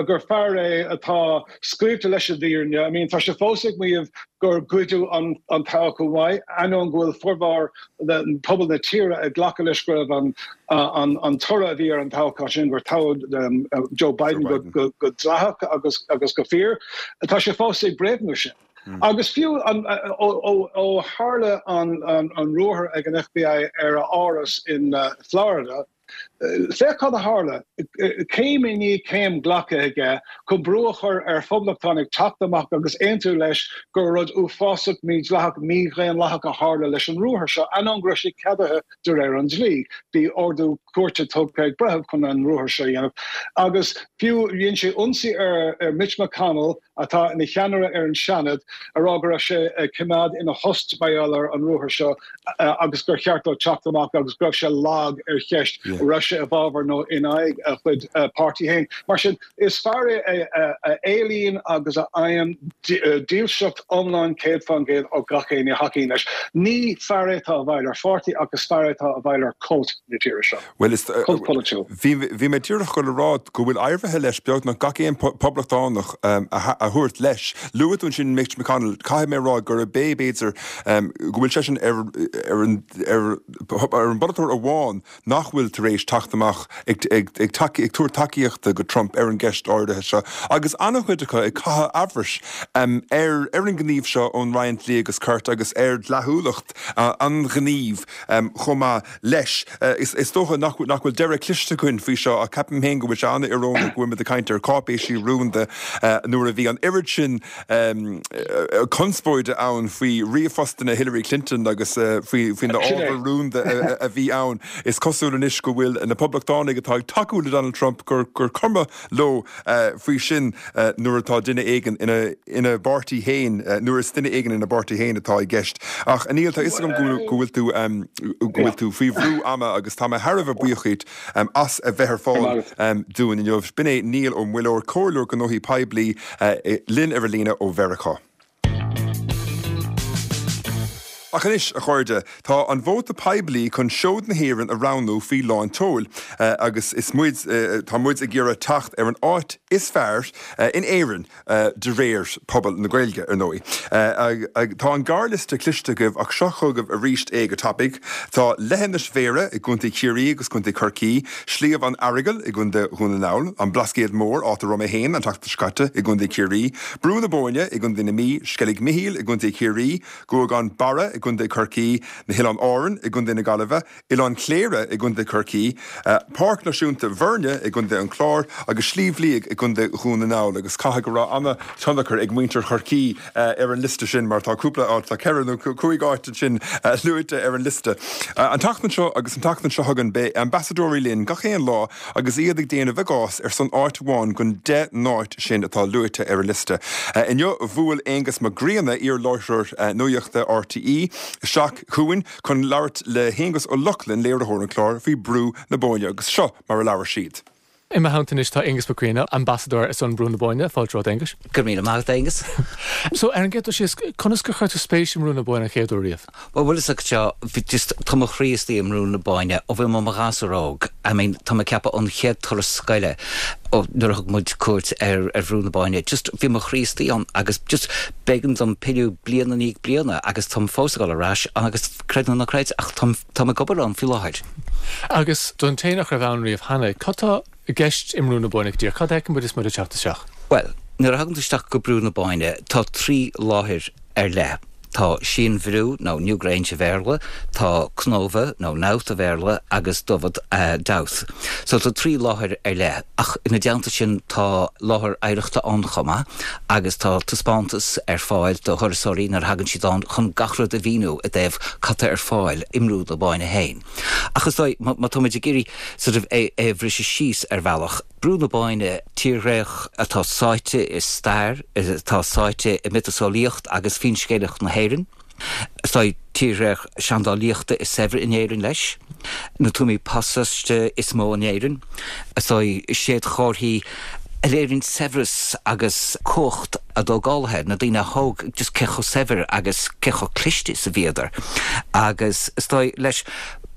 gur fear é atá scaoilte leis an bhfírinne. I mean, tá sé fós ag maíomh gur goideadh an an toghchán uaidh, ainneoin go bhfuil formhór pobal na tíre ag glacadh leis go raibh an an an toradh a bhí ar an toghchán sin, gur toghadh Joe Joe Biden go Biden. go go dleathach agus agus go fíor. Tá sé fós ag bréagnú sin. Agus fiú an ó ó ó tharla an an an ruathar ag an FBI ar a áras in Florida, Féach cad a tharla, céim i ndiaidh céim glactha aige chun brú a chur ar phoblachtánaigh teacht amach agus aontú leis gur rud uafásach mídhleathach mídhaonlathach a tharla leis an ruathar seo, ainneoin go raibh sé ceadaithe de réir an dlí. Bhí ordú cúirte tugtha ag breitheamh chun an ruathar seo a dhéanamh. Agus fiú dhein sé ionsaí ar Mitch McConnell, atá ina cheannaire ar an Seanad, a rá go raibh sé ag coimeád ina thost mar gheall ar an ruathar seo agus gur cheart dó teacht amach agus go raibh sé lag ar cheist an raibh sé i bhfabhar nó in aghaidh a chuid páirtí féin. Mar sin, is fear é a éilíonn agus a fhaigheann dílseacht iomlán céad fán gcéad ó gach éinne a thacaíonn leis. Ní fear é atá i bhfeighil ar pháirtí ach is fear é atá i bhfeighil ar cult na tíre seo. Bhuel, is, Cult polaitiúil. bhí, bhí mé díreach ag dul a rá go bhfuil éirithe leis beagnach gach aon poblachtánach a, a thabhairt leis. Luaigh tú ansin Mitch McConnell, caithfidh mé a rá gurb é b'fhéidir go bhfuil seisean ar, ar an, ar, ar an bpolaiteoir amháin nach bhfuil tar éis teacht amach ag, ag, ag, ag tabhairt tacaíochta go Trump ar an gceist áirithe seo. Agus an-chuid acu ag caitheamh amhrais ar, ar an ngníomh seo ón Roinn Dlí agus Cirt agus ar dleathúlacht an ghnímh chomh maith leis. Is dócha nach bhfuil deireadh cloiste againn faoi seo ach ceapaim féin go bhfuil sé an-íorónach go bhfuil muid ag caint ar cáipéisí rúnda nuair a bhí an oiread sin conspóide ann faoi ríomhphostanna Hillary Clinton agus faoi na ábhair rúnda a bhí ann. Is cosúil anois go bhfuil na Poblachtánaigh atá ag tacú le Donald Trump gur gur cuma leo faoi sin nuair atá duine éigin ina ina bpáirtí féin nuair is duine éigin ina bpáirtí féin atá i gceist. Ach a Neil tá fhios agam go bhfuil tú go bhfuil tú faoi bhrú ama agus tá mé thar a bheith buíoch díot as a bheith ar fáil dúinn inniu. B'in é Neil Ó Muilleoir comhairleoir gnóthaí poiblí linn ar an líne ó Mheiriceá. Ach anois, a chairde, tá an vóta poiblí chun seod na hÉireann a roghnú faoi lán tseoil agus is muid, tá muid ag iarraidh teacht ar an áit is fearr in Éirinn de réir pobal na Gaeilge, ar ndóigh. Tá an gearrliosta cloiste agaibh ach seo chugaibh arís é go tapaidh. Tá Leithinis Bhéarra i gContae Chiarraí agus Contae Chorcaí, Sliabh an Earagail i gContae Dhún na nGall, An Blascaod Mór, áit a raibh mé féin an tseachtain seo caite, i gContae Chiarraí, Brú na Bóinne i gContae na Mí, Sceilg Mhichíl i gContae Chiarraí, Guagán Barra i gContae Chorcaí, na hOileáin Árann i gContae na Gaillimhe, Oileán Chléire i gContae Chorcaí, Páirc Náisiúnta Bhoirne i gContae an Chláir agus Sliabh Liag i gContae Dhún na nGall agus caithfidh go raibh an-tionchar ag muintir Chorcaí ar an liosta sin mar tá cúpla áit, tá ceithre nó cúig áit ansin luaite ar an liosta. An tseachtain seo agus an tseachtain seo chugainn beidh ambasadóirí linn gach aon lá agus iad ag déanamh a gcás ar son áit amháin den deich n-áit sin atá luaite ar an liosta. Inniu bhuail Aonghus Mac Grianna, iar-láithreoir nuachta RTÉ, isteach chugainn chun labhairt le hAonghus Ó Lochlainn, léiritheoir an chláir, faoi Brú na Bóinne agus seo mar a labhair siad. I mo theannta anois tá Aonghus Mac Grianna, ambasadóir ar son Brú na Bóinne, fáilte romhat Aonghus. Go raibh míle maith agat Aonghus. So ar an gcéad dul síos, conas gur chuir tú spéis i mBrú na Bóinne an chéad uair riamh? Bhuel bhfuil fhios agat seo, bhí just, tá mo chroí istigh i mBrú na Bóinne ó bhí mé i mo ghasúr óg. I mean, tá mé ag ceapadh an chéad turas scoile ó nuair a thug muid cuairt ar ar Bhrú na Bóinne, just bhí mo chroí istigh ann agus just b'éigean dom pilleadh bliain i ndiaidh bliana agus táim fós ag dul ar ais agus creid nó ná creid ach táim táim ag obair ann faoi láthair. Agus don té nach raibh ann riamh cheana, cad tá i gceist i mBrú na Bóinne go díreach? Cad a fheiceann muid is muid ag teacht isteach? Bhuel, nuair a thagann tú isteach go Brú na Bóinne, tá trí láthair ar leith. Tá Sí an Bhrú, nó Newgrange a Bhéarla, tá Cnóbha, nó Knowth a Bhéarla, agus Dubhad, Dowth. So tá trí láthair ar leith, ach ina dteannta sin tá láthair oidhreachta ann chomh maith, agus tá taispeántas ar fáil do thurasóirí nuair a thagann siad ann chun gach rud a mhíniú i dtaobh cad tá ar fáil i mBrú na Bóinne féin. Ach is dóigh, má táimid ag iarraidh sort of é a bhriseadh síos ar bhealach, Brú na Bóinne, tírdhreach atá sáite i stair, atá sáite i miotaseolaíocht agus finscéalaíocht na hÉireann. Is dóigh, tírdhreach seandálaíochta is saibhre in Éirinn leis. Na tuamaí pasáiste is mó in Éirinn. Is dóigh, séadchomharthaí a léiríonn saibhreas agus cumhacht a dtógálaithe, na daoine a thóg, just cé chomh saibhir agus cé chomh cliste is a bhíodar. Agus is dóigh, leis,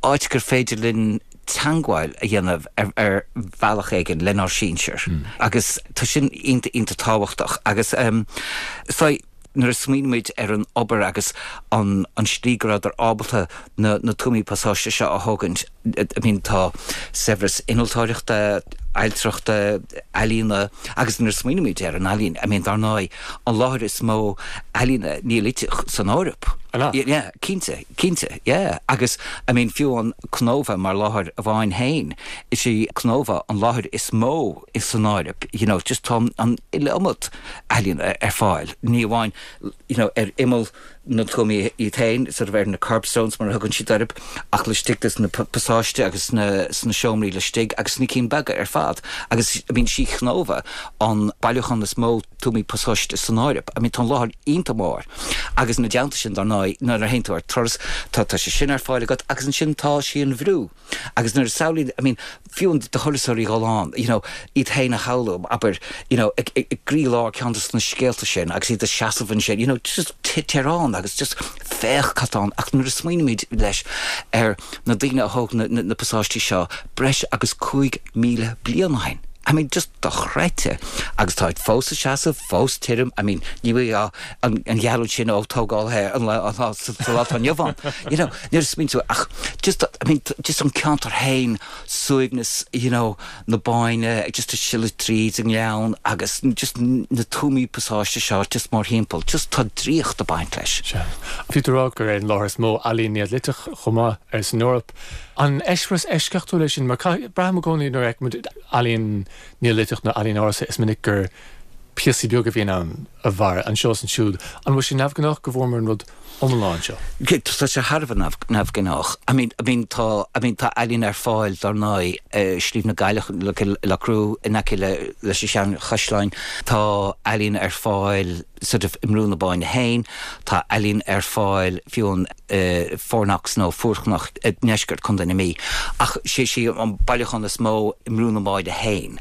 áit gur féidir linn teangmháil a dhéanamh ar bhealach éigin lenár sinsir agus tá sin iontach iontach tábhachtach agus is dóigh nuair a smaoinímid ar an obair agus an an slí go rabhadar ábalta na na tuamaí pasáiste seo a thógaint I mean tá saibhreas innealtóireachta, ailtireachta, ealaíona agus nuair a smaoinímid ar an ealaín I mean dar ndóigh an láthair is mó ealaíne Neoiliteach san Eoraip. An ea? Yeah, cinnte. Cinnte, yeah. Agus, I mean, fiú amháin Cnóbha mar láthair amháin féin, is í Cnóbha an láthair is mó san Eoraip, you know, just tá an iliomad ealaíona ar fáil, ní amháin, you know, ar imeall na tuamaí iad féin, sort of ar na kerbstones mar a thugann siad orthu, ach laistigh de sna pasáistí agus sna, sna seomraí laistigh agus sna cinn beaga ar fad. Agus, I mean, sí Cnóbha an bailiúchán is mó tuamaí pasáiste san Eoraip. I mean, tá an láthair iontach mór. Agus ina dteannta sin, dar ndóigh, nuair a théann tú ar turas, tá, tá sé sin ar fáil agat agus ansin tá Sí an Bhrú. Agus nuair a samhlaíonn, I mean, fiú do thurasóirí dhul ann, you know, iad féin a shamhlú, abair, you know, ag, ag, ag gcroílár ceann de na scéalta sin agus iad ag seasamh ansin, you know, just téir ann agus just féach cad tá ann. Ach nuair a smaoinímid leis ar na daoine a thóg na, na, na pasáistí seo breis agus cúig míle bliain ó shin, I mean, just dochreidte. Agus táid fós ag seasamh, fós tirim, I mean, ní bhfuil an gheallúint sin ó tógáil an lá sa lá atá inniu ann. You know, nuair a smaoiníonn tú, ach just, I mean, just an ceantar féin, suaimhneas, you know, na Bóinne, just ag sileadh tríd an ngleann agus just na tuamaí pasáiste seo just mórthimpeall, just tá draíocht ag baint leis. Sea. Bhí tú ag rá gur é an láthair is mó ealaín Neoiliteach chomh maith ar san Eoraip. An eispéireas eisceachtúil é sin? Mar braithim i gcónaí nuair a fheicimid ealaín Neoiliteach nó ealaín ársa, is minic gur píosaí beaga a bhíonn ann a mhair anseo is ansiúd. An bhfuil sé neamhghnách go bhfuaireamar an rud iomlán seo? Tá sé thar a bheith neamhghnách. I mean, I mean, tá, I mean, tá ealaín ar fáil dar ndóigh i Sliabh na gCailleach, i Loughcrew, in aice le, leis an seanchaisleán. Tá ealaín ar fáil sort of i mBrú na Bóinne féin, tá ealaín ar fáil fiú in Fourknocks nó Fuarchnoc i ndeisceart Chontae na Mí. Ach sé sí an bailiúchán is mó i mBrú na Bóinne féin.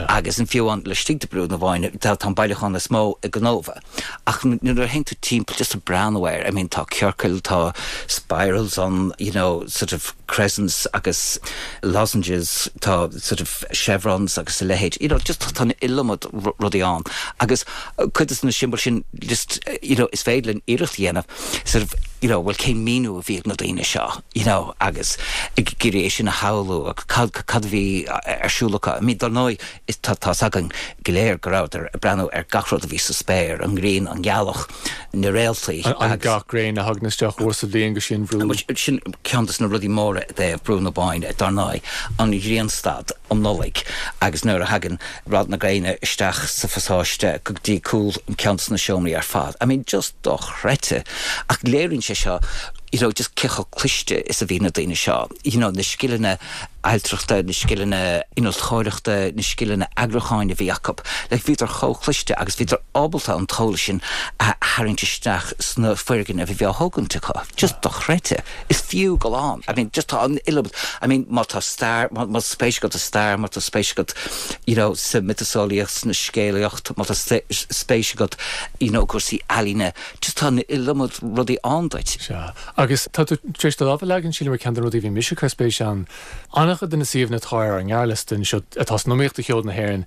Agus an fiú amháin laistigh de Brú na Bóinne tá an bailiúchán is mó i gCnóbha. Ach nuair a théann tú timpeall just ag breathnú air, I mean tá ciorcail, tá spirals ann, you know, sort of crescents agus lozenges, tá sort of chevrons agus a leithéid, you know, just tá an iliomad rudaí ann. Agus cuid de na siombail sin just, you know, is féidir linn iarracht a dhéanamh sort of, you know, well cén míniú a bhí ag na daoine seo, you know, agus ag iarraidh é sin a shamhlú agus cad cad a bhí ar siúl acu. I mean, dar ndóigh, is tá tá's againn go léir go rabhadar ag breathnú ar gach rud a bhí sa spéir, an ghrian, an ghealach, na réaltaí An an agus. ga gréine a thagann isteach uair sa bhliain go dtí an bhrú. Sin ceann de na rudaí móra i dtaobh Brú na Bóinne, dar ndóigh, an ghrianstad um Nollaig agus nuair a thagann rad na gréine isteach sa phasáiste go dtí cúl ceann de na seomraí ar fad. I mean, just dochreidte. Ach léiríonn sé seo you know, just cé chomh cliste is a bhí na daoine seo. You know, na scileanna ailtireachta, na scileanna innealtóireachta, na scileanna eagrúcháin a bhí acu. Like, bhíodar chomh cliste agus bhíodar ábalta an t-eolas sin a tharraingt isteach sna foirgnimh a bhí á thógaint acu. Just dochreidte. Is fiú dul ann. I mean, just tá an iliomad. I mean, má tá stair, má tá spéis agat sa stair, má tá spéis agat, you know, sa mhiotaseolaíocht, sna scéalaíocht, má tá spéis agat, you know, cúrsaí ealaíne, just tá an iliomad rudaí ann duit. Sea. Agus tá tú tar éis do lámh a leagan sílim ar ceann de na rudaí a bhí mise ag cur spéis ann. An-chuid de na suíomhanna atá ar an ngearrliosta anseo atá san iomaíocht do Sheoid na hÉireann,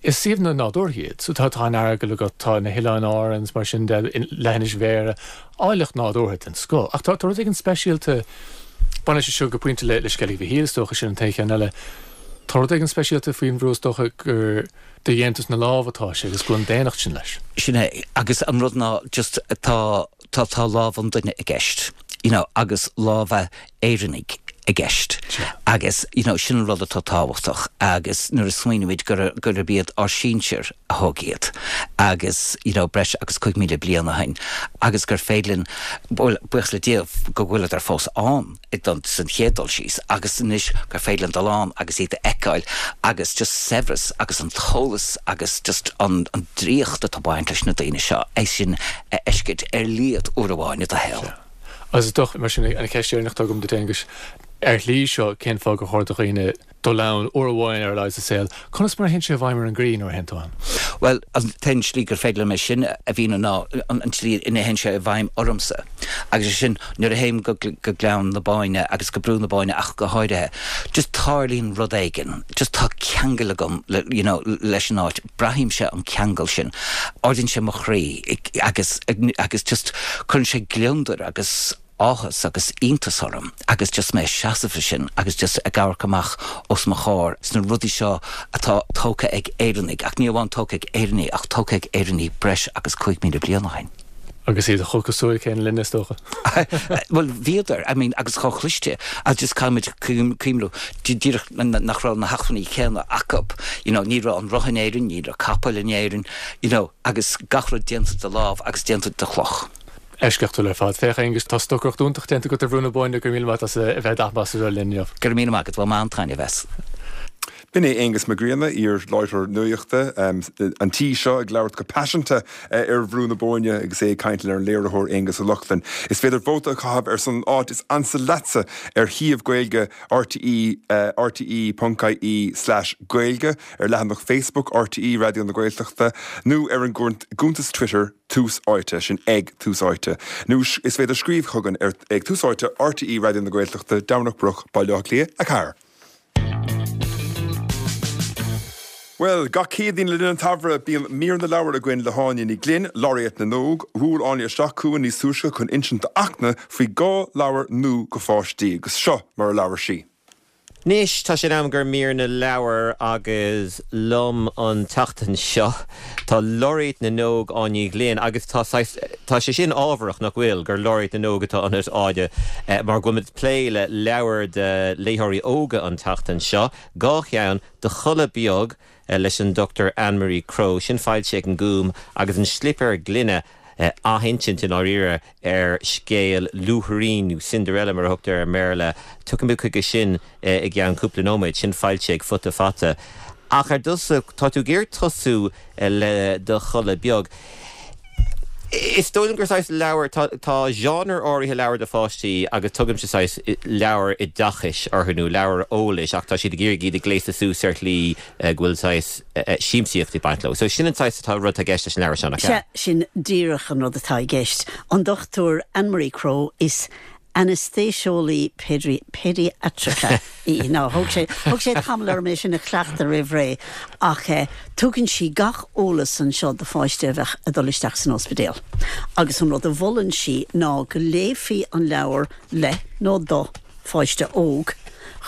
is suíomhanna nádúrtha iad. So tá tá an Earagail agat, tá na hOileáin Árann is mar sin de, leithinis Bhéarra, áilleacht nádúrtha den scoth. Ach tá tá rud éigin speisialta, baineann sé seo go pointe le le Sceilg Mhichíl is dócha, sin an t-aon cheann eile. Tá rud éigin speisialta faoin bhrú is dócha gur de dhéantús na lámh atá sé agus go bhfuil an daonnacht sin leis. Sin é, agus an rud ná just tá tá tá lámh an duine i gceist, you know, agus lámha Éireannaigh i gceist. Agus you know, sin an rud atá tábhachtach agus nuair a smaoinímid gur gurb iad ár sinsir a thóg iad agus you know, breis agus cúig míle bliain ó shin agus gur féidir linn bhuel, buíochas le Dia go bhfuileadar fós ann don san chéad dul síos agus anois gur féidir linn dul ann agus iad a fheiceáil agus just saibhreas agus an t-eolas agus just an, an draíocht atá baint leis na daoine seo é sin a fheiscint ar a laghad uair amháin i do shaol. Agus is dócha, mar sin, an cheist dheireanach atá agam duit, Aonghus, ar shlí seo, cén fáth gur chóir do dhaoine dul ann uair amháin ar a laghad sa saol? Conas mar a théann sé i bhfeidhm ar an gcroí nuair a théann tú ann? Bhuel, an t-aon slí gur féidir liom é sin a mhíniú ná an tslí ina théann sé i bhfeidhm ormsa. Agus é sin, nuair a théim go go Gleann na Bóinne agus go Brú na Bóinne ach go háirithe, just tarlaíonn rud éigin, just tá ceangal agam le, you know, leis an áit, braithimse an ceangal sin, ardaíonn sé mo chroí agus agus just cuireann sé gliondar agus áthas agus iontas orm agus just mé ag seasamh ansin agus just ag amharc amach os mo chomhair sna rudaí seo atá tógtha ag Éireannaigh, ach ní amháin tógtha ag Éireannaigh ach tógtha ag Éireannaigh breis agus cúig míle bliain ó shin. Agus iad chomh cosúil céanna linne is dócha. Bhuel bhíodar, I mean agus chomh cliste agus just caithfimid cuimhniú díreach nach raibh na hacmhainní céanna acu, you know, ní raibh an roth in Éirinn, ní raibh capaill in Éirinn, you know, agus gach rud déanta de lámh agus déanta de chloch. Eisceachtúil ar fad. Féach, a Aonghuis, tá stocaireacht iontach déanta agat ar Bhrú na Bóinne, go raibh míle maith agat as a bheith d'athmhasar linn inniu. Go raibh míle maith agat, bhain mé an-taitneamh as. B'in é Aonghus Mac Grianna, iar-láithreoir nuachta an tí seo, ag labhairt go paiseanta ar Bhrú na Bóinne agus é ag caint lenár léiritheoir Aonghus Ó Lochlainn. Is féidir vóta a chaitheamh ar son an áit is ansa leatsa ar shuíomh Gaeilge RTÉ, rte.ie slash Gaeilge, ar leathanach Facebook RTÉ Raidió na Gaeltachta nó ar an gcuntas Twitter Tús Áite, sin ag Tús Áite. Nó is féidir scríobh chugainn ar ag Tús Áite, RTÉ Raidió na Gaeltachta, Domhnach Broc, Baile Átha Cliath a ceathair. Bhuel, gach Céadaoin le linn an tsamhraidh, bíonn Mír na Leabhar againn le hÁine Ní Ghlinn, Laureate na nÓg. Bhuail Áine isteach chugainn níos túisce chun insint d'Fhachtna faoi dhá leabhar nua do pháistí, agus seo mar a labhair sí. Anois tá sé in am do mhír na leabhar agus liom an tseachtain seo tá Laureate na nÓg Áine Ní Ghlinn agus tá tá sé sin ábharach nach bhfuil gur Laureate na nÓg atá ionat Áine eh, mar go bhfuil plé le leabhar do léitheoirí óga an tseachtain seo, dhá cheann Do Chodladh Beag eh, leis an Dr Anne-Marie Crowe sin foilsithe ag an Gúm agus an Slipéar Gloine eh, athinsint in áirithe ar scéal Luaithrín nó Cinderella mar a thugtar i mBéarla Tiocfaidh muid chuige sin eh, i gceann cúpla nóiméad sin foilsithe ag Futa Fata. Ach ar dtús tá tú ag tosú eh, le Do Chodladh Beag. Is dóigh gur saghas leabhar tá genre áirithe leabhar do pháistí agus tugaim sé saghas leabhar oideachais orthu nó leabhar eolais ach tá siad ag iarraidh iad a ghléasadh suas ar shlí go bhfuil saghas siamsaíocht ag baint leo. So sin an saghas atá rud i gceist leis an leabhar seo Se sin díreach an rud atá i gceist. An Dr Anne-Marie Crowe is anastéiseolaí péidiatraice í ná thóg sé thóg sé tamall orm é sin a chleachtadh roimh ré ach eh, tugann sí gach eolas anseo do pháiste a bheith ag dul isteach san ospidéal. Agus an rud a mholann sí ná go léifí an leabhar le nó do pháiste óg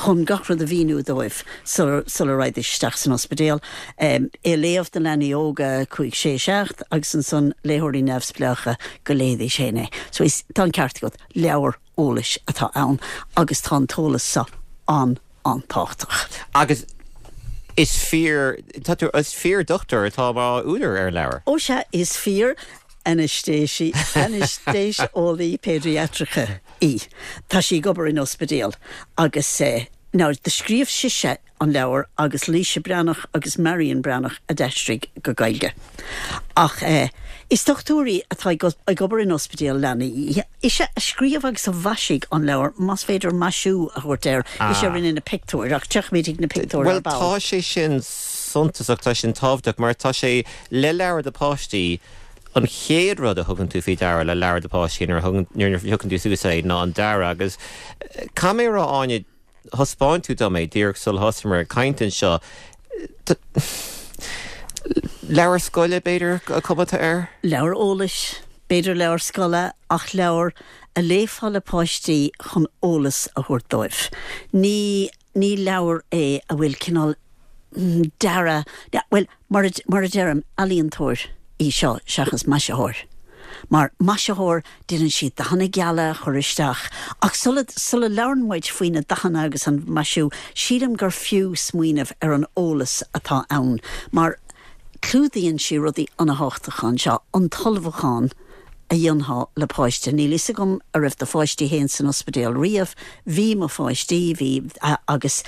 chun gach rud a mhíniú dóibh sula raghaidís isteach san ospidéal. Um, é léamh do leanaí óga cúig sé seacht agus ansan léitheoirí neamhspleácha go léifidís féin é. So is tá an ceart agat leabhar eolais atá ann agus tá an t-eolas seo an an-tábhachtach. Agus is fíor is fíor dochtúir atá mar údar ar leabhar. Ó sea is fíor anastéisí anastéiseolaí péidiatraice í. Tá sí ag obair in ospidéal agus eh, Now, do scríobh sise an leabhar agus Laoise Breathnach agus Marion Breathnach a d'aistrigh go Gaeilge. Ach eh, is dochtúir í atá ag obair in ospidéal leanaí. Ise a scríobh agus a mhaisigh an leabhar más féidir maisiú a thabhairt air ah. ise rinne na pictiúir ach tiocfaimid na pictiúir Well tá sé sin suntasach tá sin tábhachtach mar tá sé le leabhar do pháistí an chéad rud a thugann tú faoi deara le leabhar do pháistí nuair a thugann tú suas é ná an dearadh agus caithfidh mé a rá Áine thaispeáin tú dom é díreach sular thosaíomar ag caint anseo leabhar scoile b'fhéidir an chuma atá air? Leabhar eolais, b'fhéidir leabhar scoile ach leabhar a léifeá le páistí chun eolas a thabhairt dóibh. Ní ní leabhar é a bhfuil cineál dearadh well mar mar a deirim ealaíontóir í seo seachas maisitheoir. Mar maisitheoir déanann siad dathanna geala chur isteach, ach sula sula labhrann muid faoi na dathanna agus an maisiú, sílim gur fiú smaoineamh ar an eolas atá ann, mar clúdaíonn sí rudaí an-tábhachtacha anseo an t-ullmhúchán a dhéanfá le páiste. Níl a fhios agam an raibh do pháistí féin san ospidéal riamh, bhí mo pháistí bhí agus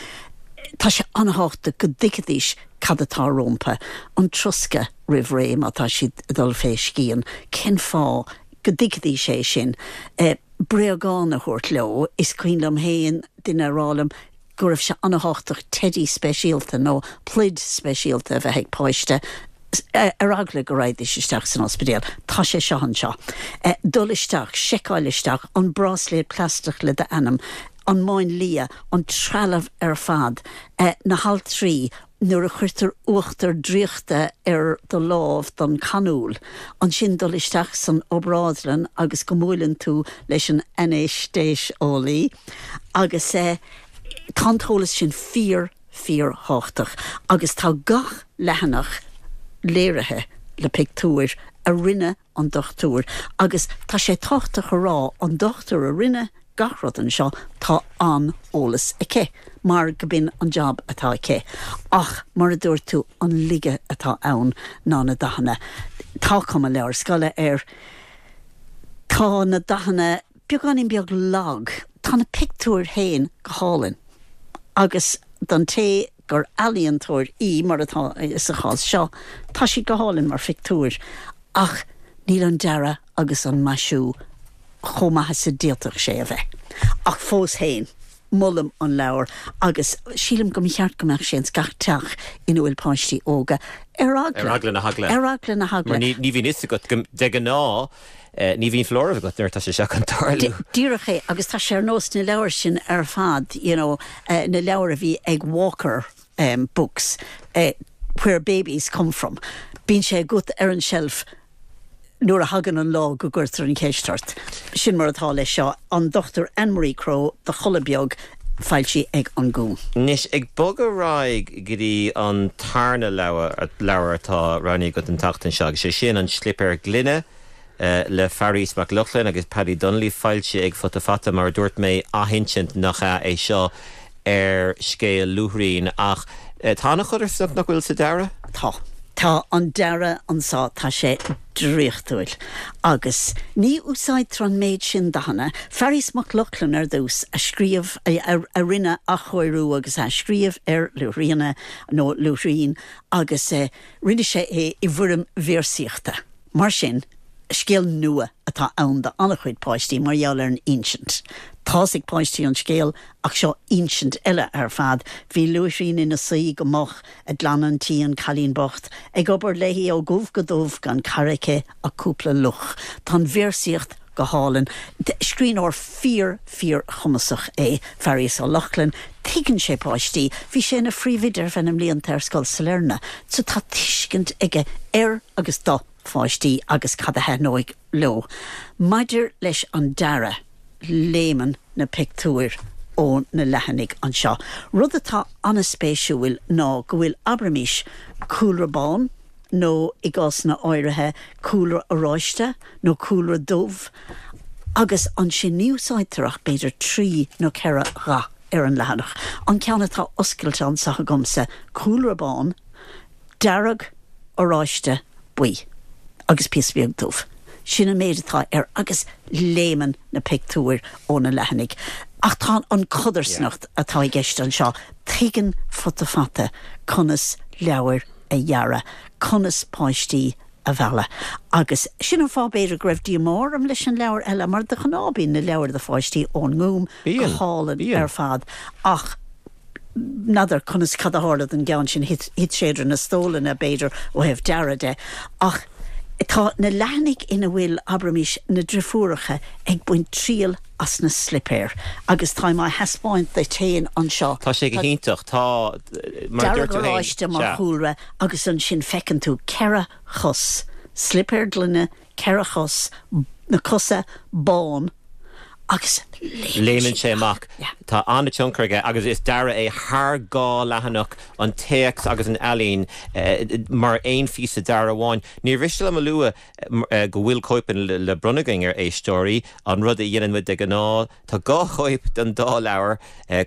tá sé an-tábhachtach go dtuigfidís cad atá rompu an troscadh roimh ré má tá siad dul fé scian, cén fáth go dtuigfidís é sin. E, bréagán a thabhairt leo is cuimhin liom féin duine a rá liom go raibh sé an-tábhachtach teidí speisialta nó pluid speisialta a bheith ag páiste ar eagla go raghaidís isteach san ospidéal. Tá sé seo anseo. E, dul isteach, seiceáil isteach an bráisléad plaisteach le d'ainm, an máinlia, an trealamh ar fad, e, na haltraí nuair a chuirtear uachtar draíochta ar do lámh don canúil, ansin dul isteach san obrádlann agus go mbuaileann tú leis an anastéiseolaí agus eh, tá an t-eolas sin fíor fíorthábhachtach agus tá gach leathanach léirithe le pictiúir a rinne an dochtúir agus tá sé tábhachtach a rá an dochtúir a rinne gach rud anseo tá an eolas aici mar go b'in an job atá aici. Ach mar a dúirt tú an laige atá ann ná na dathanna. Tá cuma leabhar scoile air Tá na dathanna beagáinín beag lag, Tá na pictiúir féin go hálainn. Agus don té gur ealaíontóir í mar atá sa chás seo, tá sí go hálainn mar phictiúir, ach níl an dearadh agus an maisiú chomh maith is a d'fhéadfadh sé a bheith. Ach fós féin molaim an leabhar agus sílim go mba cheart go mbeadh sé ins gach teach ina bhfuil páistí óga ar Ar eagla na heagla. Ar eagla na heagla. Mar ní ní bhíonn fhios agat go de ghnáth eh, ní bhíonn foláireamh agat nuair atá sé seo chun tarlú. Díreach é agus tá sé ar nós na leabhair sin ar fad you know, uh, na leabhair a bhí ag Walker um, books uh, where babies come from. Bíonn sé agat ar an shelf nuair a thagann an lá go gcuirtear an cheist ort. Sin mar atá leis seo an Dr Anne-Marie Crowe Do Chodladh Beag Foilsithe ag An Gúm. Anois, ag bogadh ar aghaidh go dtí an tarna leabhar atá roghnaithe agat an tseachtain seo, agus sé sin An Slipéar Gloine le Fearghas Mac Lochlainn agus Paddy Donnelly, foilsithe ag Futa Fata, mar a dúirt mé, athinsint nach ea é seo ar scéal Luaithrín, ach tá an-chodarsnacht, nach bhfuil, sa dearadh? Tá. Tá an dearadh anso, tá sé draíochtúil. Agus ní úsáidtear an méid sin dathanna. Fearghas Mac Lochlainn ar dtús a scríobh, a rinne athchóiriú agus athscríobh ar Luaithríona nó Luaithrín agus rinne sé é i bhfoirm véarsaíochta. Mar sin, scéal nua atá ann do an-chuid páistí mar gheall ar an insint. Tá's ag páistí an scéal ach seo insint eile ar fad. Bhí Luaithrín ina suí go moch ag glanadh an tí, an cailín bocht, ag obair léi ó dhubh go dubh gan cara aici ach cúpla luch. Tá an véarsaíocht go hálainn. Scríbhneoir fíor, fíor chumasach é Fearghas Ó Lochlainn. Tuigeann sé páistí. Bhí sé ina phríomhoide ar feadh na mblianta ar Scoil Sailearna so tá tuiscint aige ar agus do pháistí agus cad a thaitneoidh leo. Maidir leis an dearadh, léimeann na pictiúir ó na leathanaigh anseo. Rud atá an-spéisiúil ná go bhfuil, abraimis, cúlra bán, nó i gcásanna áirithe, cúlra oráiste nó cúlra dubh, agus ansin ní úsáidtear ach b'fhéidir trí nó ceithre dhath ar an leathanach. An ceann atá oscailte anseo agamsa, cúlra bán, dearg, oráiste, buí agus píosa beag dubh. Sin an méid atá air agus léimeann na pictiúir ó na leathanaigh. Ach tá an chodarsnacht atá i gceist anseo, tuigeann Futa Fata conas leabhair a dhearadh, conas páistí a mhealladh. Agus sin an fáth b'fhéidir go raibh díomá orm leis an leabhar eile, mar de ghnáth bíonn na leabhair do pháistí ón nGúm go hálainn ar fad ach n'fheadar conas cad a tharla don gceann sin, thit sé idir na stólanna, b'fhéidir, ó thaobh dearaidh de. Ach tá na leathanaigh ina bhfuil, abraimis, na driofúracha ag baint triail as na slipéir agus táim á thaispeáint duit féin anseo. Tá sé go hiontach. Tá, mar a dúirt tú féin, Dearg oráiste mar sea. chúlra agus ansin feiceann tú ceithre chos, slipéir gloine, ceithre chos, na cosa bán agus léimeann sé amach. Tá an-tionchar aige agus is dearadh é thar dhá leathanach, an téacs agus an ealaín mar aon phíosa dearaidh amháin. Níor mhiste liom a lua go bhfuil cóipeanna le bronnadh againn ar éisteoirí, an rud a dhéanann muid de ghnáth. Tá dhá chóip den dá leabhar,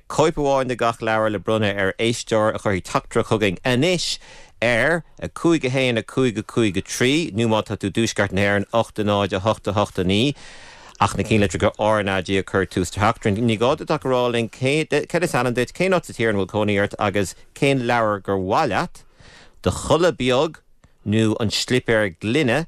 cóip amháin de gach leabhar le bronnadh ar éisteoir a chuirfidh teachtaireacht chugainn anois ar a cúig a haon a cúig a cúig a trí nó má tá tú i dtuaisceart na hÉireann, ocht a náid a hocht a hocht a naoi. Ach na cinnlitreacha RnaG a chur tús do theachtaireacht. Ní gá duit ach a rá linn céard is ainm duit, cén áit sa tír ina bhfuil cónaí ort agus cén leabhar gur mhaith leat, Do Chodladh Beag nó An Slipéar Gloine,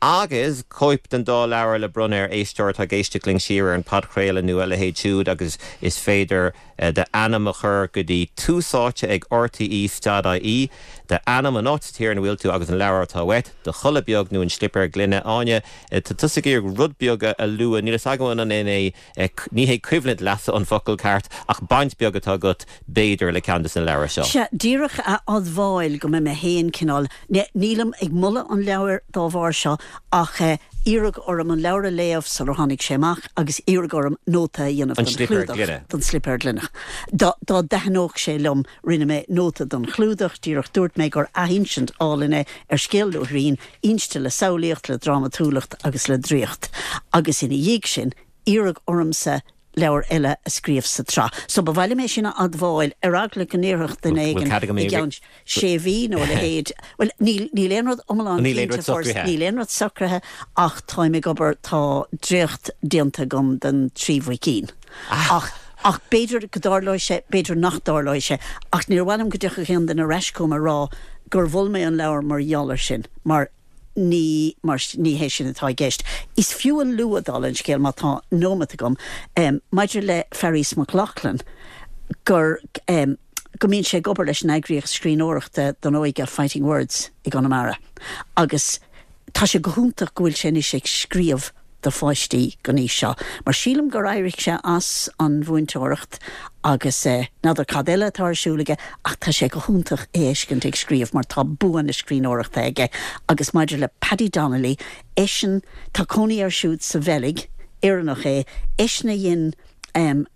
agus cóip den dá leabhar le bronnadh ar éisteoir atá ag éisteacht linn siar ar an podchraoladh nó a leithéid siúd agus is féidir d'ainm a chur go dtí Tús Áite ag RTÉ stad IE, d'ainm, an áit sa tír ina bhfuil tú agus an leabhar atá uait, Do Chodladh Beag nó An Slipéar Gloine. Áine, tá tusa ag iarraidh rud beag a lua, níl fhios agam an é, ní hé coimhlint leasa an focal ceart ach baint beag atá agat b'fhéidir le ceann de na leabhair seo. Sea, díreach a admháil go mbeidh mé féin cineál, nílim ag moladh an leabhair dá bharr seo ach iarradh orm an leabhar a léamh sular tháinig sé amach agus iarradh orm nóta a dhéanamh An don Slipéar chlúdach, Gloine. don Slipéar Gloine. Dá dá dtaitneodh sé liom, rinne mé nóta don chlúdach, díreach dúirt mé gur athinsint álainn é ar scéal Luaithrín, inste le samhlaíocht, le drámatúlacht agus le draíocht. Agus ina dhiaidh sin, iarradh ormsa leabhar eile a scríobh sa tsraith. So ba mhaith liom é sin a admháil, ar eagla go ndéarfadh duine Bhfuil éigin cead agam i é gceann sé mhí nó a leithéid, bhuel, níl, níl aon rud iomlán Níl aon cinnte rud fós, socraithe. níl aon rud socraithe ach táim ag obair, tá dréacht déanta agam den Trí Mhuicín. Ach, ach b'fhéidir go dtarlóidh sé, b'fhéidir nach dtarlóidh sé, ach níor mhaith liom go dtiocfadh aon duine ar ais chugam a rá gur mhol mé an leabhar mar gheall air sin, mar ní, mar ní hé sin atá i gceist. Is fiú a lua, dála an scéil, má tá nóimeat agam, maidir le Fearghas Mac Lochlainn, gur, go mbíonn sé ag obair leis an eagraíocht scríbhneoireachta don óige Fighting Words i gConamara agus tá sé go hiontach go bhfuil sé anois ag scríobh do pháistí den aois seo, mar sílim gur éirigh sé as an mhúinteoireacht agus n'fheadar cad eile atá ar siúl aige ach tá sé go hiontach é a fheiscint ag scríobh mar tá bua na scríbhneoireachta aige agus maidir le Paddy Donnelly, eisean, tá cónaí air siúd sa Bheilg, Éireannach é, eisean a dhein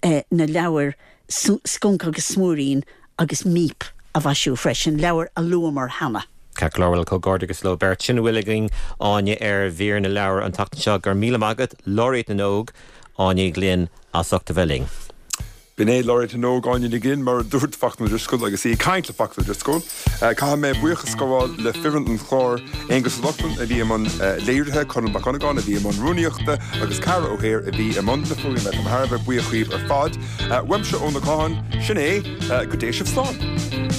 na leabhair Scunc agus Smúirín agus Míp a mhaisiú freisin, leabhair a luamar cheana. Ceart go leor, bhuel, comhghairdeachas leo beirt. Sin a bhfuil againn, Áine, ar mhír na leabhar an tseachtain seo. Go raibh míle maith agat, Laureate na nÓg, Áine Ní Ghlinn, as ucht a bheith linn. B'in é Laureate na nÓg, Áine Ní Ghlinn, mar a dúirt Fachtna Drisceoil agus í ag caint le Fachtna Drisceoil. Caithfidh mé buíochas a ghabháil le foireann an chláir, Aonghus Ó Lochlainn a bhí i mbun léirithe, Conall Mac Dhonnagáin a bhí i mbun rúnaíochta agus Ceara Ó hÉir a bhí i mbun na fuaime. Táim thar a bheith buíoch dhaoibh ar fad. Uaimse Eoin Ó Catháin, sin é, go dté sibh slán.